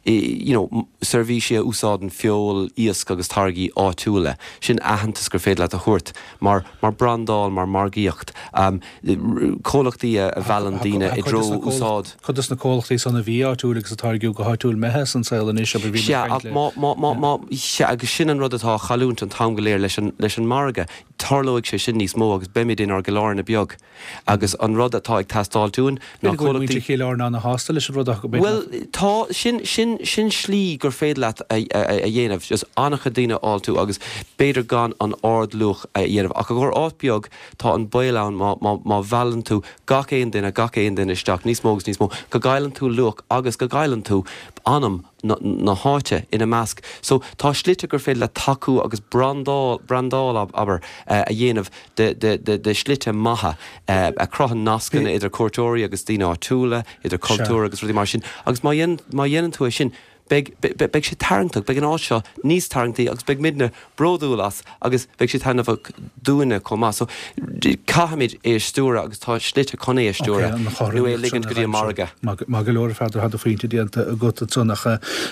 you know seirbhísí a úsáideann feoil, iasc agus táirgí áitiúla. Sin aitheantas gur féidir leat a thabhairt mar, mar brandáil, mar margaíocht. Comhlachtaí a mheallann daoine i dtreo úsáid. Cuid de na comhlachtaí san a bhí áitiúil agus a táirgeadh go háitiúil imithe as an saol anois, abair, bhí muid ag caint le. Sea, ach má, má, má, má, sea, agus sin an rud atá á chailliúint an t-am go léir leis an, leis an margadh. Tarlóidh sé sin níos mó agus beimid inár gCill Airne beag. Agus an rud atá ag teastáilt uainn ná B'fhéidir go bhfuil muintir Chill Airne ana-shásta leis an rud ach b'fhéidir nach. Bhuel, tá, sin, sin, sin slí gur féidir leat a, a, a dhéanamh, just an-chuid daoine a fháiltiú agus b'fhéidir gan an ard-luach a dhéanamh. Ach i gcomhair áit beag, tá an baol ann má, má, má mheallann tú gach aon duine, gach aon duine isteach, níos mó agus níos mó, go gcailleann tú luach agus go gcailleann tú anam. Na háite ina measc. So, tá slite gur féidir leat tacú agus brandáil, brandáil abair, a dhéanamh de, de, de, de shlite maithe a chruthaíonn nascanna idir cuairteoirí agus daoine áitiúla, idir cultúr agus rudaí mar sin. Agus má dhéanann, má dhéanann tú é sin, beidh, beidh sé tarraingteach, beidh an áit seo níos tarraingtí agus beidh muidne bródúil as agus beidh sé taitneamhach dúinne chomh maith. So, caithfimid é a stiúradh agus tá slite chun é a stiúradh nó é a ligint go dtí an margadh. Maith go leor, a Pheadair, tá do phointe déanta agat ansan ach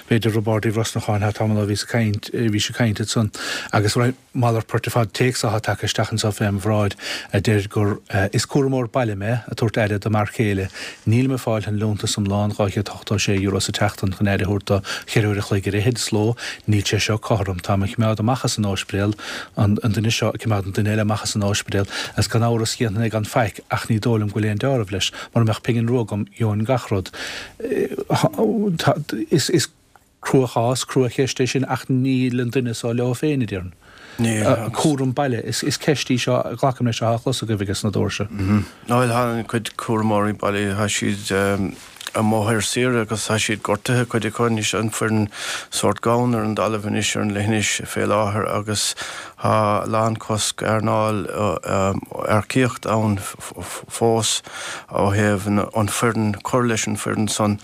b'fhéidir Roibeárd Uí Bhrosnacháin, tá tamall ó bhíos ag caint, bhís ag caint ansan agus malairt poirt ar fad téacs atá tagtha isteach anseo fém bhráid a deir gur Is cúramóir baile mé, ag tabhairt aire do m'fhear céile. Nílim ag fáil an liúntas iomlán, €286 sa tseachtain, chun aire a thabhairt dó cheithre uair a chloig ar fhichid sa ló. Níl sé seo cothrom. Táim á choimeád amach as an óispidéal, an duine seo ag coimeád an duine eile amach as an óispidéal, agus gan amhras dhéanfainn é gan faic, ach ní dóigh liom go bhfuil aon deáramh leis. Mura mbeadh pingin rua agam, gheobhainn gach rud. Is. Cruachás, cruacheist é sin ach níl an duine so leo féin, a déarfainn. Níl. Cúram baile, is ceist í seo, glacaim leis, atá á chlos agaibh ages na doirse. Bhuel, tá an cuid cúramóirí baile, tá siad amuigh ar saoire agus tá siad gortaithe, cuid acu anois, an foireann sórt gann ar an dtalamh anois ar an leithinis fé láthair agus tá a lán cosc earnáil earcaíocht ann fós ó thaobh an foireann, cur leis an foireann san.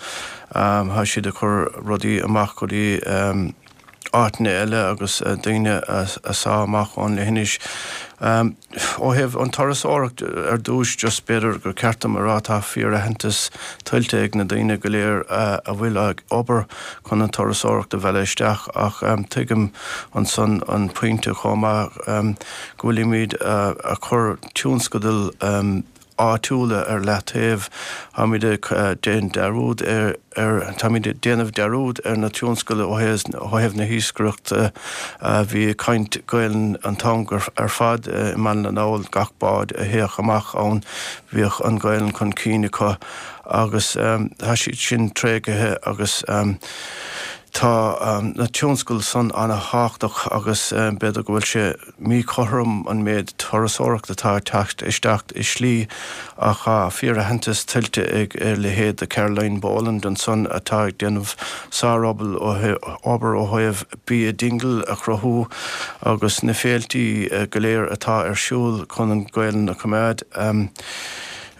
Tá siad ag cur rudaí amach go dtí áiteanna eile agus daoine a sá amach ón leithinis. Ó thaobh an turasóireacht ar dtúis, just b'fhéidir gur ceart dom a rá tá fíor-aitheantas tuillte ag na daoine go léir a bhfuil ag obair chun an turasóireacht a mhealladh isteach ach tuigim ansan an pointe chomh maith go bhfuilimid ag cur tionscadal áitiúla ar leataobh. Táimid ag déanamh dearúd ar, táimid ag déanamh dearúd ar na tionscail ó thaobh na hiascaireachta. Bhí caint Gaelainn an t-am ar fad i mBaile na nGall, gach bád a théadh amach ann bhíodh an Ghaelainn chun cinn acu agus tá siad sin tréigthe agus tá na tionscail san ana-thábhachtach agus b'fhéidir go bhfuil sé míchothrom an méid turasóireacht atá ag teacht isteach i slí ach tá fíoraitheantas tuillte ag a leithéid de Caroline Boland ansan atá ag déanamh sárobair ó thaobh bia Dingle a chruthú agus na féiltí go léir atá ar siúl chun an Ghaelainn a choimeád.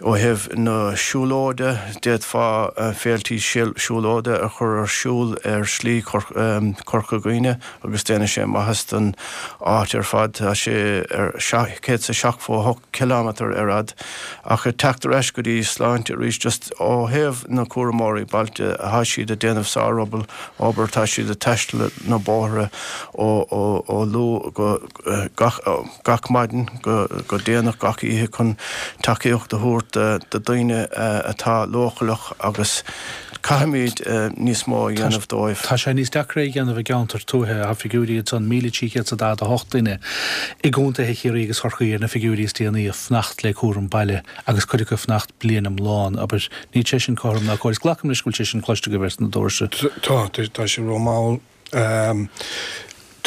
Ó thaobh na siúlóide, d'fhéadfá féiltí siúlóide a chur ar siúl ar Shlí Chorca Dhuibhne agus déanfaidh sé maitheas don áit ar fad. Tá sé ar 178 cileámetar ar fhad. Ach ag teacht ar ais go dtí sláinte arís, just ó thaobh na cúramóirí bailte, tá siad ag déanamh sárobair, obair, tá siad ag taisteal na bóithre ó luath go gach. gach maidin go déanach gach oíche chun tacaíocht a thabhairt do daoine atá leochaileach agus caithfimid níos mó a dhéanamh dóibh. Tá sé níos deacra é a dhéanamh i gceantair tuaithe. Tá figiúirí ansan, 1,348 duine i gcontaetha Chiarraí agus Chorcaí ar na figiúirí is déanaí ag fanacht le cúram baile agus cuid acu ag fanacht bliain iomlán. Abair, níl sé sin cothrom ná cóir. Is glacaim leis go bhfuil sé sin cloiste agaibh ars na doirse. Tá, tá sé rómhall.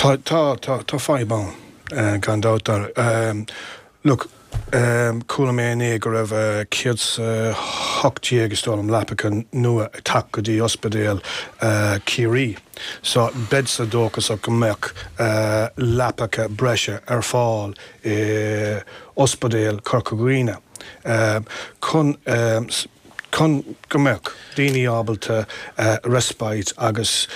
Tá, tá, tá, tá fadhb ann, gan dabht. Look, chuala mé inné go raibh 118, is dóigh liom, leapacha nua ag teacht go dtí ospidéal Chiarraí. So, beadsa dóchasach go mbeadh leapacha breise ar fáil i ospidéal Chorca Dhuibhne chun, chun go mbeadh daoine ábalta respite agus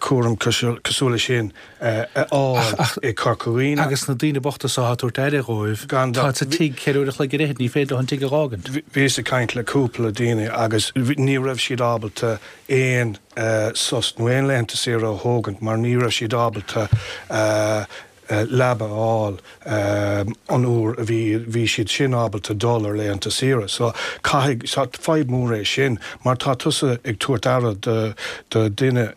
cúram cosúil leis sin a fháil i Corca Dhuibhne. Agus na daoine bochta so atá ag tabhairt aire dhóibh, tá sa tigh ceithre uair a chloig ar fhichid, ní féidir leo an tigh a dh'fhágaint. Bhíos ag caint le cúpla daoine agus ní raibh siad ábalta aon sos nó aon laethanta saoire a thógaint mar ní raibh siad ábalta leaba a fháil an uair a bhí bhí siad sin ábalta dul ar laethanta saoire. So caithfidh, so fadhb mór é sin mar tá tusa ag tabhairt aire do do duine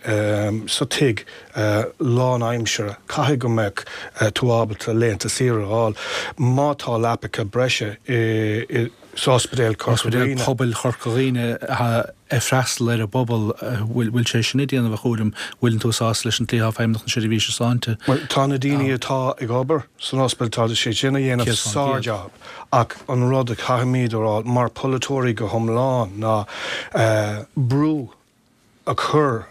sa tigh lánaimseartha, caithfidh go mbeadh tú ábalta laethanta saoire a fháil má tá leapacha breise i sa Ospidéal Chorca Dhuibhne. Ospidéal Pobail Chorca Dhuibhne ag freastal ar an bpobal, bhfuil sé sin ag déanamh a chúraim? Bhfuileann tú sásta leis an tslí atá Feidhmeannacht na Seirbhíse Sláinte? Bhuel, tá na daoine atá ag obair san ospidéal, tá siad sin ag déanamh sár-jab ach an rud a chaithfimid a rá mar polaiteoirí go hiomlán ná brú a chur.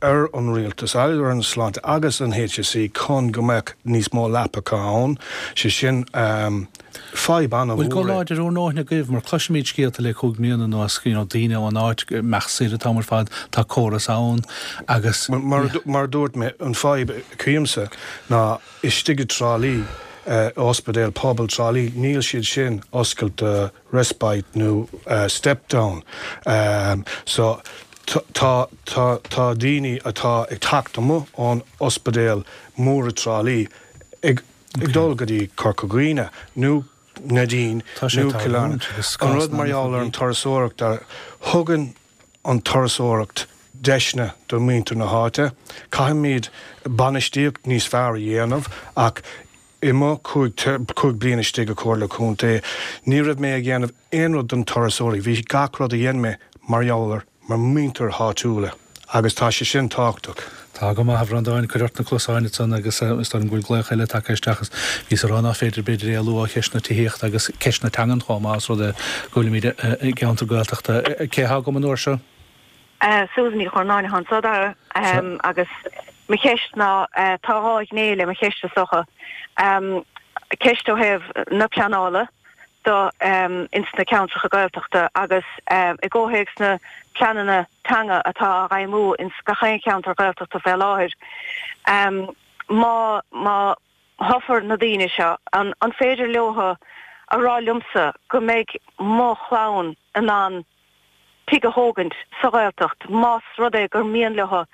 ar an rialtas, ar an Sláinte agus an HSE chun go mbeadh níos mó leapacha ann, sé sin fadhb an-mhór é. Bhfuil guth láidir úr ndóthain agaibh, mar cloisimid scéalta le 5 mbliana anuas, you know, daoine ón áit ag imeacht soir an t-am ar fad, tá córas ann agus. Mar a dúirt mé, an fadhb a chímse ná istigh i dTrá Lí, ospidéal pobail Trá Lí, níl siad sin oscailte do respite nó step down. So tá tá tá daoine atá ag teacht amuigh ón ospidéal mór i dTrá Lí ag ag dul go dtí Corca Dhuibhne nó Neidín Tá sé nó Cill Airne. tarlúint agus An rud mar gheall ar an turasóireacht a thugann an turasóireacht deiseanna do mhuintir na háite. Caithfimid bainistíocht níos fearr a dhéanamh ach I mo chúig bliana istigh i Comhairle Contae, ní raibh mé ag dhéanamh aon rud don turasóirí, bhí gach rud a dhein mé mar gheall ar mo mhuintir háitiúla agus tá sé sin tábhachtach. Tá go maith, a Bhreandáin, cuir ort na cluasáin ansan agus is dóigh liom go bhfuil glaoch eile tagtha isteach agus bhíos a rá nach féidir b'fhéidir éalú ó cheist na tithíochta agus ceist na teangan chomh maith os rud é go bhfuilimid i gceantar Gaeltachta. Cé atá agam an uair seo? Susan Ní Churnáin atá anso, Dara, agus mo cheist ná, tá dhá ghné le mo cheist is dócha. Ceist ó thaobh na pleanála do ins na ceantracha Gaeltachta agus i gcomhthéacs na pleananna teanga atá á bhfeidhmiú ins gach aon cheantar Gaeltachta fé láthair. Má, má thoghfar na daoine seo, an féidir leotha a rá liomsa go mbeidh mo chlann in ann tigh a thógaint sa Ghaeltacht más rud é gur mian leo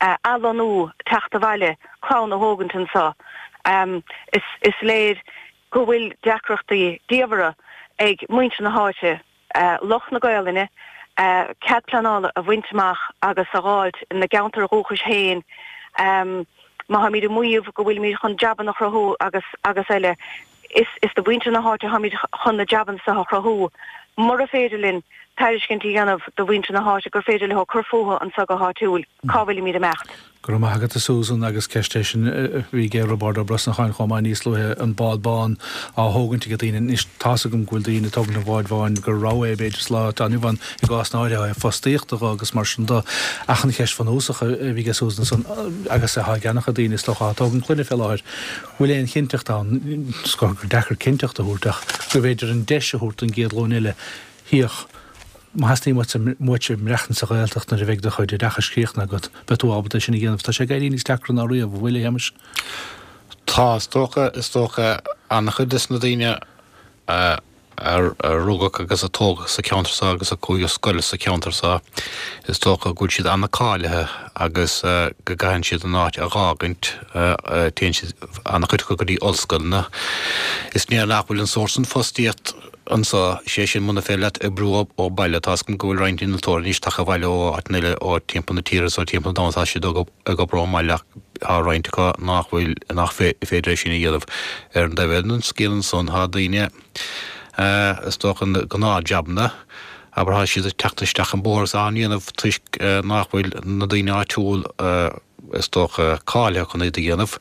athlonnú, teacht abhaile, clann a thógaint anseo. Is léir go bhfuil deacrachtaí diamhara ag muintir na háite, lucht na Gaolainne, cead pleanála a bhaint amach agus a dh'fháilt ina gceantair dhúchais féin. Má tháimid ag maíomh go bhfuilimid chun jabanna a chruthú agus agus eile, Is do mhuintir na háite atáimid chun na jabanna seo a chruthú. Mura féidir linn tairiscint a dhéanamh do mhuintir na háite gur féidir leo cur fúthu anseo go háitiúil, cá bhfuilimid ag imeacht? Go raibh maith agat a Susan agus ceist é sin a bhí ag Roibeárd Ó Brosnacháin chomh maith níos luaithe, an bád bán á thógaint ag daoine. Anois tá's agam go bhfuil daoine ag tógaint an bháid bháin gur rogha é b'fhéidir sa lá atá inniu ann i gcás na áirithe ó thaobh fostaíochta dho agus mar sin do. Ach an cheist bhunúsach a bhí ag Susan ansan agus atá ag an-chuid daoine is dócha atá ag tógaint clainne fé láthair, bhfuil aon chinnteacht ann, is gur deacair cinnteacht a thabhairt ach go mb'fhéidir an deis a thabhairt don gcéad ghlúin eile, féach, má theastaíonn uaitse maireachtaint sa Ghaeltacht nuair a bheidh do chuid oideachais críochnaithe agat, beidh tú ábalta é sin a dhéanamh. Tá sé ag éirí níos deacra ná riamh, an bhfuil, a Shéamais? Tá, is dócha, is dócha, an-chuid des na daoine a. a rugadh agus a tógadh sa cheantar seo agus a chuaigh ar scoil sa cheantar seo, is dócha go bhfuil siad an-cáilithe agus go gcaitheann siad an áit a dh'fhágaint, téann siad, an-chuid acu go dtí ollscoileanna. Is léir nach bhfuil an sórt san fostaíocht anseo, sé sin muna féidir leat oibriú ó baile, tá's agam go bhfuil roinnt innealtóirí anois tagtha abhaile ó áiteanna eile, ó timpeall na tíre is ó timpeall an domhain, tá siad ag obair ón mbaile ach tá roinnt acu nach bhfuil, nach féidir é sin a dhéanamh. Ar an dtaobh eile den scéal ansan tá daoine, is dócha, na gnáthjabanna, abair, tá siad ag teacht isteach an bóthar agus á ndéanamh toisc nach bhfuil na daoine áitiúil, is dócha, cáilithe chun iad a dhéanamh.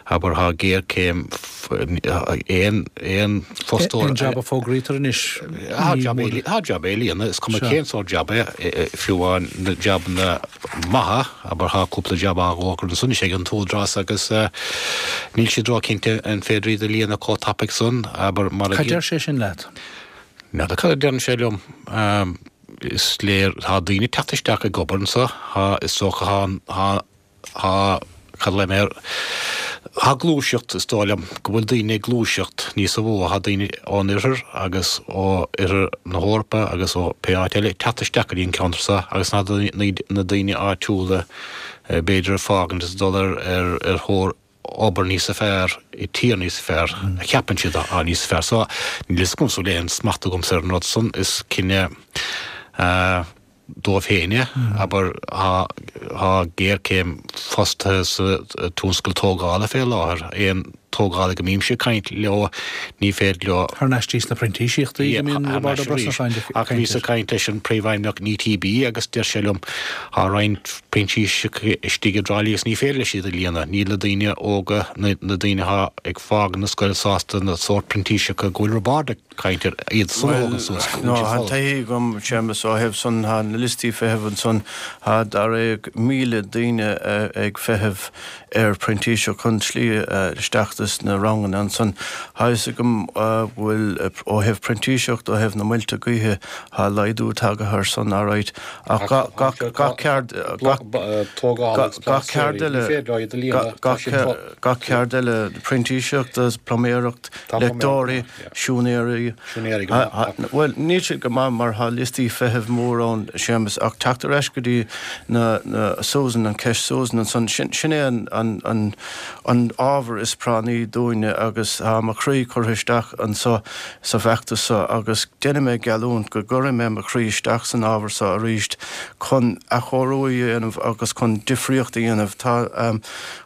Abair, tá géarchéim aon, aon fostóir. Aon jab a fógraítear anois, ní mór. Tá jab á líonadh, is cuma cén sórt jab é, fiú amháin na jabanna maithe, abair, tá cúpla jab á bhfógairt ansan anois ag an t-údarás agus níl siad ró-chinnte an féidir iad a líonadh chomh tapaidh san, abair, mar a. Cad deir sé sin leat? N'fheadar cad a deireann sé liom. Is léir, tá daoine ag teacht isteach ag obair anso, tá, is dócha, tá, tá, tá, cad a mé air, tá gluaiseacht, is dóigh liom go bhfuil daoine ag gluaiseacht níosa mhó, tá daoine ón oirthear agus ó oirthear na hEorpa agus ó pé áit eile ag teacht isteach go dtí an ceantar seo agus na na daoine áitiúla b'fhéidir ag fágaint is ag dul ar ar ar thóir obair níosa fearr i tír níos fearr, a cheapann siad atá níos fearr. So níl fhios agamsa an bhfuil aon smacht agamsa ar an rud san, is cinneadh dóibh féin é. Abair, tá géarchéim fostaithe sa tionscal tógála fé láthair. Aon. tógála go mbímse ag caint leo, ní féidir leo. Thar n-ais dtí sna printísíochtaí go mbíonn Roibeárd Ó Brosnacháin ag caint. Ach bhíos ag caint leis an Príomhfheidhmeannach in ETB agus deir sé liom, tá roinnt printíseach istigh i dTrá Lí agus ní féidir leis iad a líonadh. Níl na daoine óga, na daoine atá ag fágaint na scoile sásta na sórt printíseacha go bhfuil Roibeárd ag caint air, iad san a thógaint suas go bhfuil siad folamh. Tá taithí agam, Séamus, ó thaobh san, tá na liostaí feithimh ansan, tá dáréag 1,000 daoine ag feitheamh ar phrintíseach chun slí isteach dos na ranganna ansan. Tá fhios agam go bhfuil, ó thaobh printíseacht, ó thaobh na muilte gaoithe, tá laghdú tagaithe ar san, alright, ach gach ceard, gach ceard eile, gach ceard eile, printíseacht, pluiméireacht, leicteoirí, Siúinéirí. Siúinéirí go maith. Bhuel, níl siad go maith mar tá liostaí feithimh mór ann, Séamus, ach teacht ar ais go dtí na, na, Susan, an ceist Susan ansan, sin, sin é an, an, an, an ábhar is práinní dúinne agus tá mo chroí curtha isteach anso sa bhfeachtas so agus déanfaidh mé geallúint go gcuirfidh mé mo chroí isteach san ábhar so arís chun athchóiriú a dhéanamh agus chun difríocht a dhéanamh. Tá.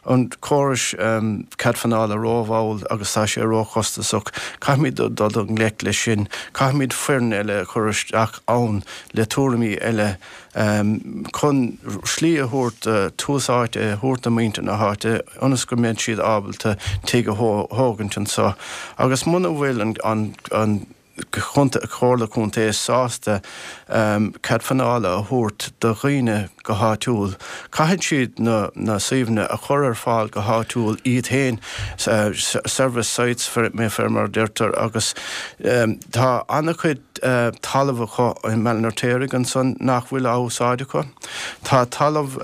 an córas cead pleanála rómhall agus tá sé róchostasach. Caithfimid dul i ngleic leis sin. Caithfimid foireann eile a chur isteach ann le tuairimí eile chun slí a thabhairt, tús áite a thabhairt do mhuintir na háite ionas go mbeidh siad ábalta tigh a thógaint anseo. Agus muna bhfuil an. Comhairle Contae sásta cead pleanála a thabhairt do dhaoine go háitiúil. Caithfidh siad na suíomhanna a chur ar fáil go háitiúil iad féin, service sites fé mar a deirtear, agus tá an-chuid talamh acu i mBaile an Fheirtéaraigh ansan nach bhfuil á úsáid acu. Tá talamh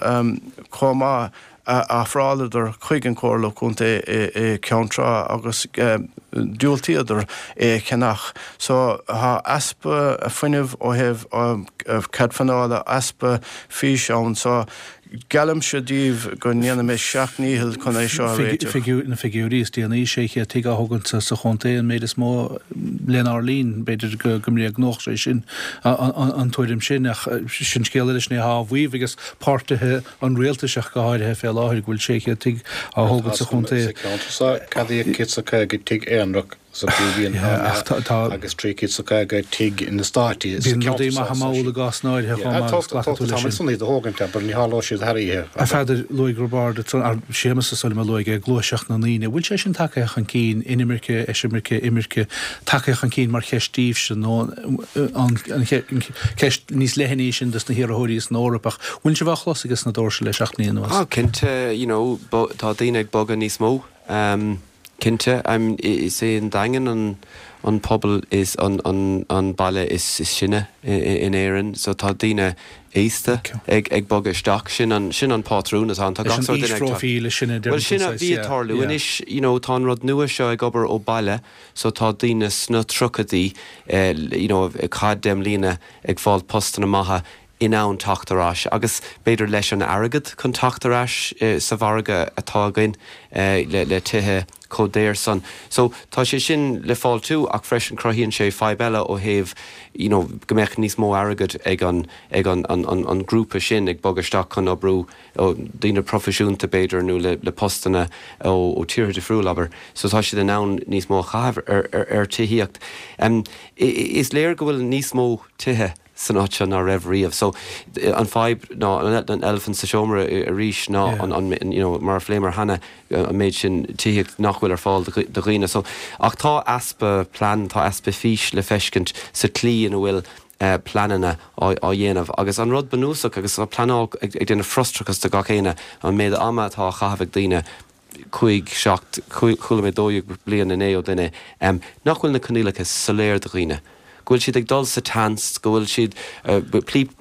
chomh maith a ofráladar chuig an Chomhairle Contae i gCeann Trá agus diúltaíodar é a cheannach. So tá easpa fuinnimh ó thaobh cead pleanála, easpa fís ann. So geallaimse daoibh go ndéanfaidh mé seacht ndícheall chun é seo a réiteach. Na figiúirí is déanaí, 600 tigh á thógaint sa chontae, an méid is mó lenár linn. B'fhéidir go mbréagnódh sé sin an tuairim sin ach sin scéal eile, sin é atá á mhaíomh ages páirtithe an rialtais ach go háirithe fé láthair go bhfuil 600 tigh á thógaint sa chontae. Sa cheantar seo ceadaíodh 150 tigh aonarach sa bhliain agus 350 tigh in eastáití sa Bíonn rudaí maithe mall i gcásanna áirithe chomh maith agus glacann tú leis sin. Tá iad a thógaint abair, ní tharlóidh siad thar oíche. A Pheadair, luaigh Roibeárd, Séamus is dóigh liom a luaigh é, gluaiseacht na ndaoine. Bhfuil sé sin tagtha chun cinn, inimirce, eisimirce, imirce, tagtha chun cinn mar cheist daoibhse nó an ceist níos leithne í sin dos na hiarrthóirí san Eoraip ach bhfuil sibh á chlos ages na doirse le seacht mbliana anuas? Ah cinnte, you know, tá daoine ag bogadh níos mó, cinnte. Is é an Daingean an an pobal is an an baile is sine in Éirinn so tá daoine aosta ag ag bogadh isteach. Sin an sin an pátrún atá ann. Tá gach sórt duine ag teacht. Bhuel sin a bhí ag tarlú anois, you know, tá an rud nua seo ag obair ó baile So tá daoine sna tríochaidí you know ag caitheamh 10 mbliana ag fáil postanna maithe in ann teacht ar ais agus b'fhéidir leis an airgead chun teacht ar ais sa mhargadh atá againn le le tithe chomh daor san. So tá sé sin le fáiltiú ach freisin cruthaíonn sé fadhb eile ó thaobh you know go mbeadh níos mó airgead ag an ag an an an grúpa sin ag bogadh isteach chun oibriú ó daoine proifisiúnta b'fhéidir nó le postanna ó tíortha difriúil, abair, so tá siad in ann níos mó a chaitheamh ar tithíocht. Is léir go bhfuil níos mó tithe san áit seo ná raibh riamh. So an fadhb ná an eilifint sa seomra arís ná an, you know, mar a phléamar cheana, an méid sin tithíocht nach bhfuil ar fáil do dhaoine. So ach tá easpa plean, tá easpa fís le feiscint sa tslí ina bhfuil pleananna á dhéanamh. Agus an rud bunúsach, agus tá pleanáil ag déanamh frustrachas do gach éinne, an méid ama atá á chaitheamh ag daoine, cúig, seacht, chuala mé 12 bliain inné ó duine, nach bhfuil na coinníollacha soiléir do dhaoine, go bhfuil siad ag dul sa tseans, go bhfuil siad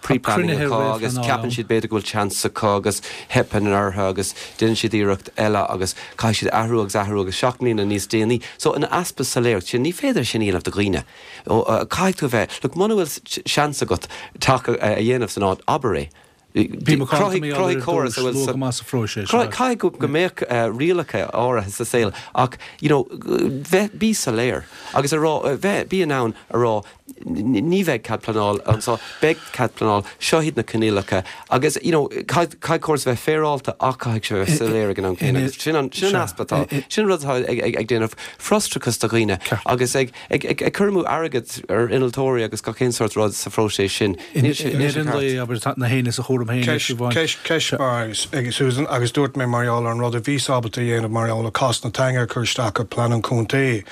pre-planning acu agus ceapann siad b'fhéidir go bhfuil seans acu agus teipeann orthu agus déanann siad iarracht eile agus caithfidh siad athrú agus athrú agus seacht mbliana níos déanaí. So an easpa soiléireacht sin, ní féidir sin a dhéanamh do dhaoine. Caithfidh tú a bheith, look, muna bhfuil seans agat teach a dhéanamh san áit, abair é. Bí macánta mar gheall air ar dtús, luath go maith sa phróiseas. Caithfidh go mbeadh rialacha áirithe sa saol ach, you know, bheith, bí soiléir agus a rá, bheith, bí in ann a rá. ní bheidh cead pleanáil anseo, beidh cead pleanáil, seo iad na coinníollacha agus you know caithfidh córas a bheith féaráilte ach caithfidh sé a bheith soiléir ag an am céanna agus sin an sin an easpa atá, sin an rud atá ag ag ag déanamh frustrachas do dhaoine agus ag ag ag ag cur amú airgead ar innealtóirí agus gach aon sórt rud sa phróiseas sin. Níl sé níl sé ceart. Na héinne sa chúram féin leis amháin. Ceist ceist mhaith ag Susan agus dúirt mé mar gheall ar an rud a bhíos ábalta a dhéanamh mar gheall ar cás na teanga a chur isteach ar plean an chontae.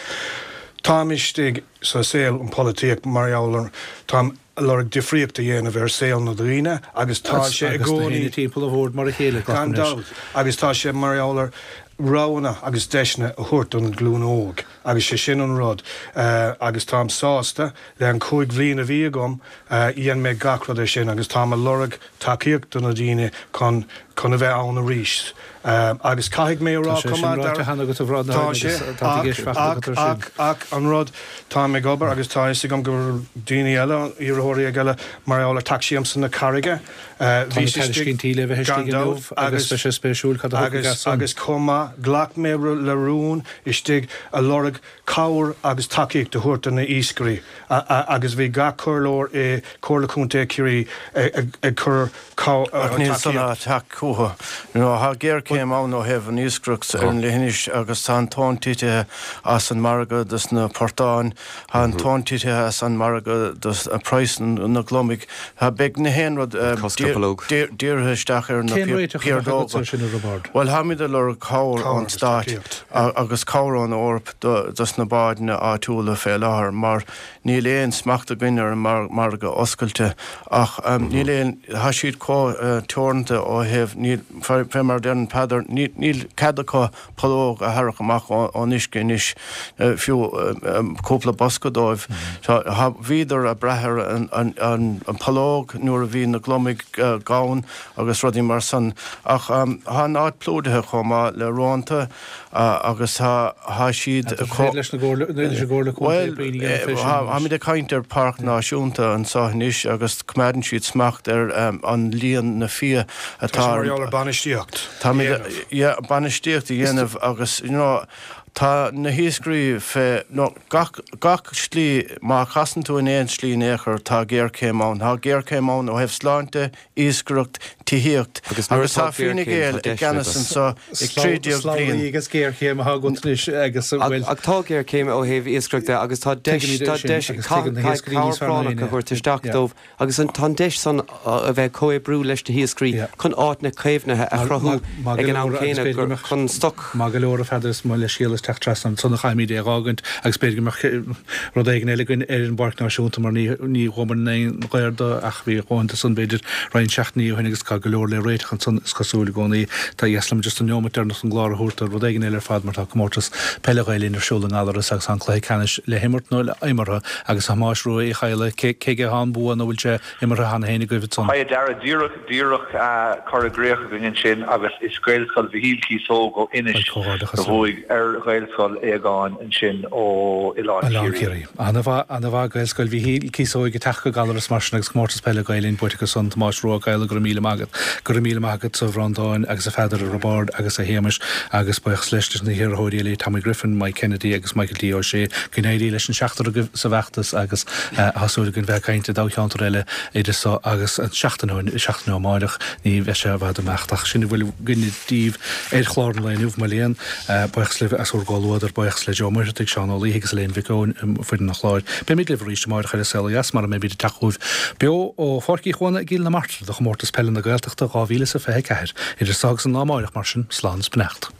Táim istigh sa saol an polaitíocht mar gheall ar táim a lorg difríocht a dhéanamh ar saol na daoine agus tá sé i Agus na gcónaí héinne timpeall an bhoird mar a chéile, gan glacaim leis. dabht, agus tá sé mar gheall ar roghanna agus deiseanna a thabhairt don ghlúin óg agus sé sin an rud agus táim sásta le an chúig bhliain a bhí agam dhein mé gach rud ar sin agus táim a lorg tacaíocht do na daoine chun chun a bheith ann arís agus caithfidh mé a rá Tá sé chomh sin maith ráite cheana agat a Bhreandáin Tá sé agus tá tú ag éisteacht ach agat ar sin. ach ach an rud táim ag obair agus tá a fhios agam go bhfuil daoine eile iarrthóirí ag eile mar gheall ar Tacsaí Aimsir na Carraige Tá na tairiscintí le bheith gan istigh inniu dabht agus agus beidh sé spéisiúil cad a thiocfaidh agus as san. agus chomh maith ghlac mé le rún istigh a lorg cabhair agus tacaíocht a thabhairt do na iascairí agus bhí gach comhairleoir i Comhairle Contae Chiarraí ag cur Ach níl san ag teacht chucu. You know, tá géarchéim ann ó thaobh an iascaireacht ar an leithinis agus tá an tonn titithe as an margadh dos na portáin, tá an tonn titithe as an margadh dos praghas na gliomaigh. Tá, beidh na haon rud dírithe isteach ar na Cén réiteach a bheadh agatsa piardóga. ar sin, a Roibeaird? Bhuel, táimid ag lorg cabhair ón Stát agus cabhair ón Eoraip dos na bádanna áitiúla fé láthair mar níl aon smacht againn ar an margadh oscailte ach níl aon, tá siad chomh teoranta ó thaobh, níl, fé mar a deireann Peadar, níl cead acu pollóg a tharrac amach ón uisce anois, fiú cúpla bosca dóibh. Bhíodar ag brath ar an pollóg nuair a bhí na gliomaigh gann agus rudaí mar san ach tá an áit plódaithe chomh maith le rónta agus tá siad chomh. Leis an gComhairle Contae puinn a dhéanamh fé sin anois. Táimid ag caint ar Páirc Náisiúnta anseo anois agus coimeádann siad smacht ar an líon na fia atá. Tá sé mar gheall ar bainistíocht a dhéanamh. Yeah, bainistíocht a dhéanamh agus you know tá na hiascairí fé no gach gach slí má chasann tú in aon slí in aon chor tá géarchéim ann. Tá géarchéim ann ó thaobh sláinte, iascaireacht, tithíocht Agus nuair agus tá atá Fine géarchéim, Gael tá i deiseanna gceannas agat. anseo ag 13 bliain. Slabhraí agus géarchéim atá agat anois agus bhuel. Ach tá géarchéim ó thaobh iascaireachta agus tá deis, Tuigimid é tá sin deis, agus tuigeann na caithfidh hiascairí cabhair níos fearr ná práinneach a éinne. thabhairt isteach Yeah. dóibh agus an, tá an deis san a bheith ag comhoibriú leis na hiascairí Yeah. chun áiteanna caomhnaithe a Maith, chruthú maith, maith ag go an am leor agus céanna b'fhéidir go gur mbeadh, chun stoc. maith go leor a Pheadair is mo leithscéal as teacht trasna ansan a chaithfimid é a dh'fhágaint agus b'fhéidir go mbeadh rud éigin eile againn ar an bPáirc Náisiúnta mar ní, ní ghabhann aon ghair do ach bhí a dhóthain de san b'fhéidir roinnt seachtainí ó shin agus tá go leor le réiteach ansan is cosúil i gcónaí. Tá dheas liom just an neomat deireanach den gclár a thabhairt do rud éigin eile ar fad mar tá comórtas peile Ghael Linn ar siúl i nGallaras agus tá an cluiche ceannais le himirt nó le imeartha agus a Thomáis Rua Uí Chadhla cé cé aige atá an bua nó bhfuil sé imeartha cheana féin agaibh ansan? Haigh a Dhara, díreach díreach curtha i gcrích againn ansin agus is Gaelscoil Mhichíl Cíosóg ó Inis Comhghairdeachas a bhuaigh ar Ghaelscoil Aogáin ansin ó Oileán Oileán Ciarraí. Ciarraí. Ana-mhaith, ana-mhaith Gaelscoil Mhichíl Cíosóig ag teacht go Gallaras mar sin agus Comórtas Peile Gael Linn buaite acu san, Tomás Rua Ó Cadhla, go raibh míle maith agat. Go raibh míle maith agat a Bhreandáin agus a Pheadair, a Roibeárd agus a Shéamais agus buíochas leis leis na hiarrthóirí eile, Tommy Griffin, Mike Kennedy agus Michael D. Ó Sé. Go n-éirí leis an seachtar agaibh sa bhfeachtas agus tá súil againn bheith ag caint i dtoghcheantar eile idir so agus an seachtain ó seachtain ó amáireach. Ní bheidh sé i bhfad amach ach sin a bhfuil againne daoibh ar chlár an lae inniu, mo léan. Buíochas libh as bhur gcomhluadar. Buíochas le Joe Muircheartaigh, Seán Ó Laoithe agus Elaine Mhic Eoin i bhfoireann an chláir. Beimid libh arís amáireach ar An Saol Ó Dheas mar a mbeimid ag teacht chugaibh beo ó Pháirc Uí Chuana i gCill na Martra do Chomórtas Peile na Gaeltachta 2024. Idir so agus an lá amáireach mar sin, slán is beannacht.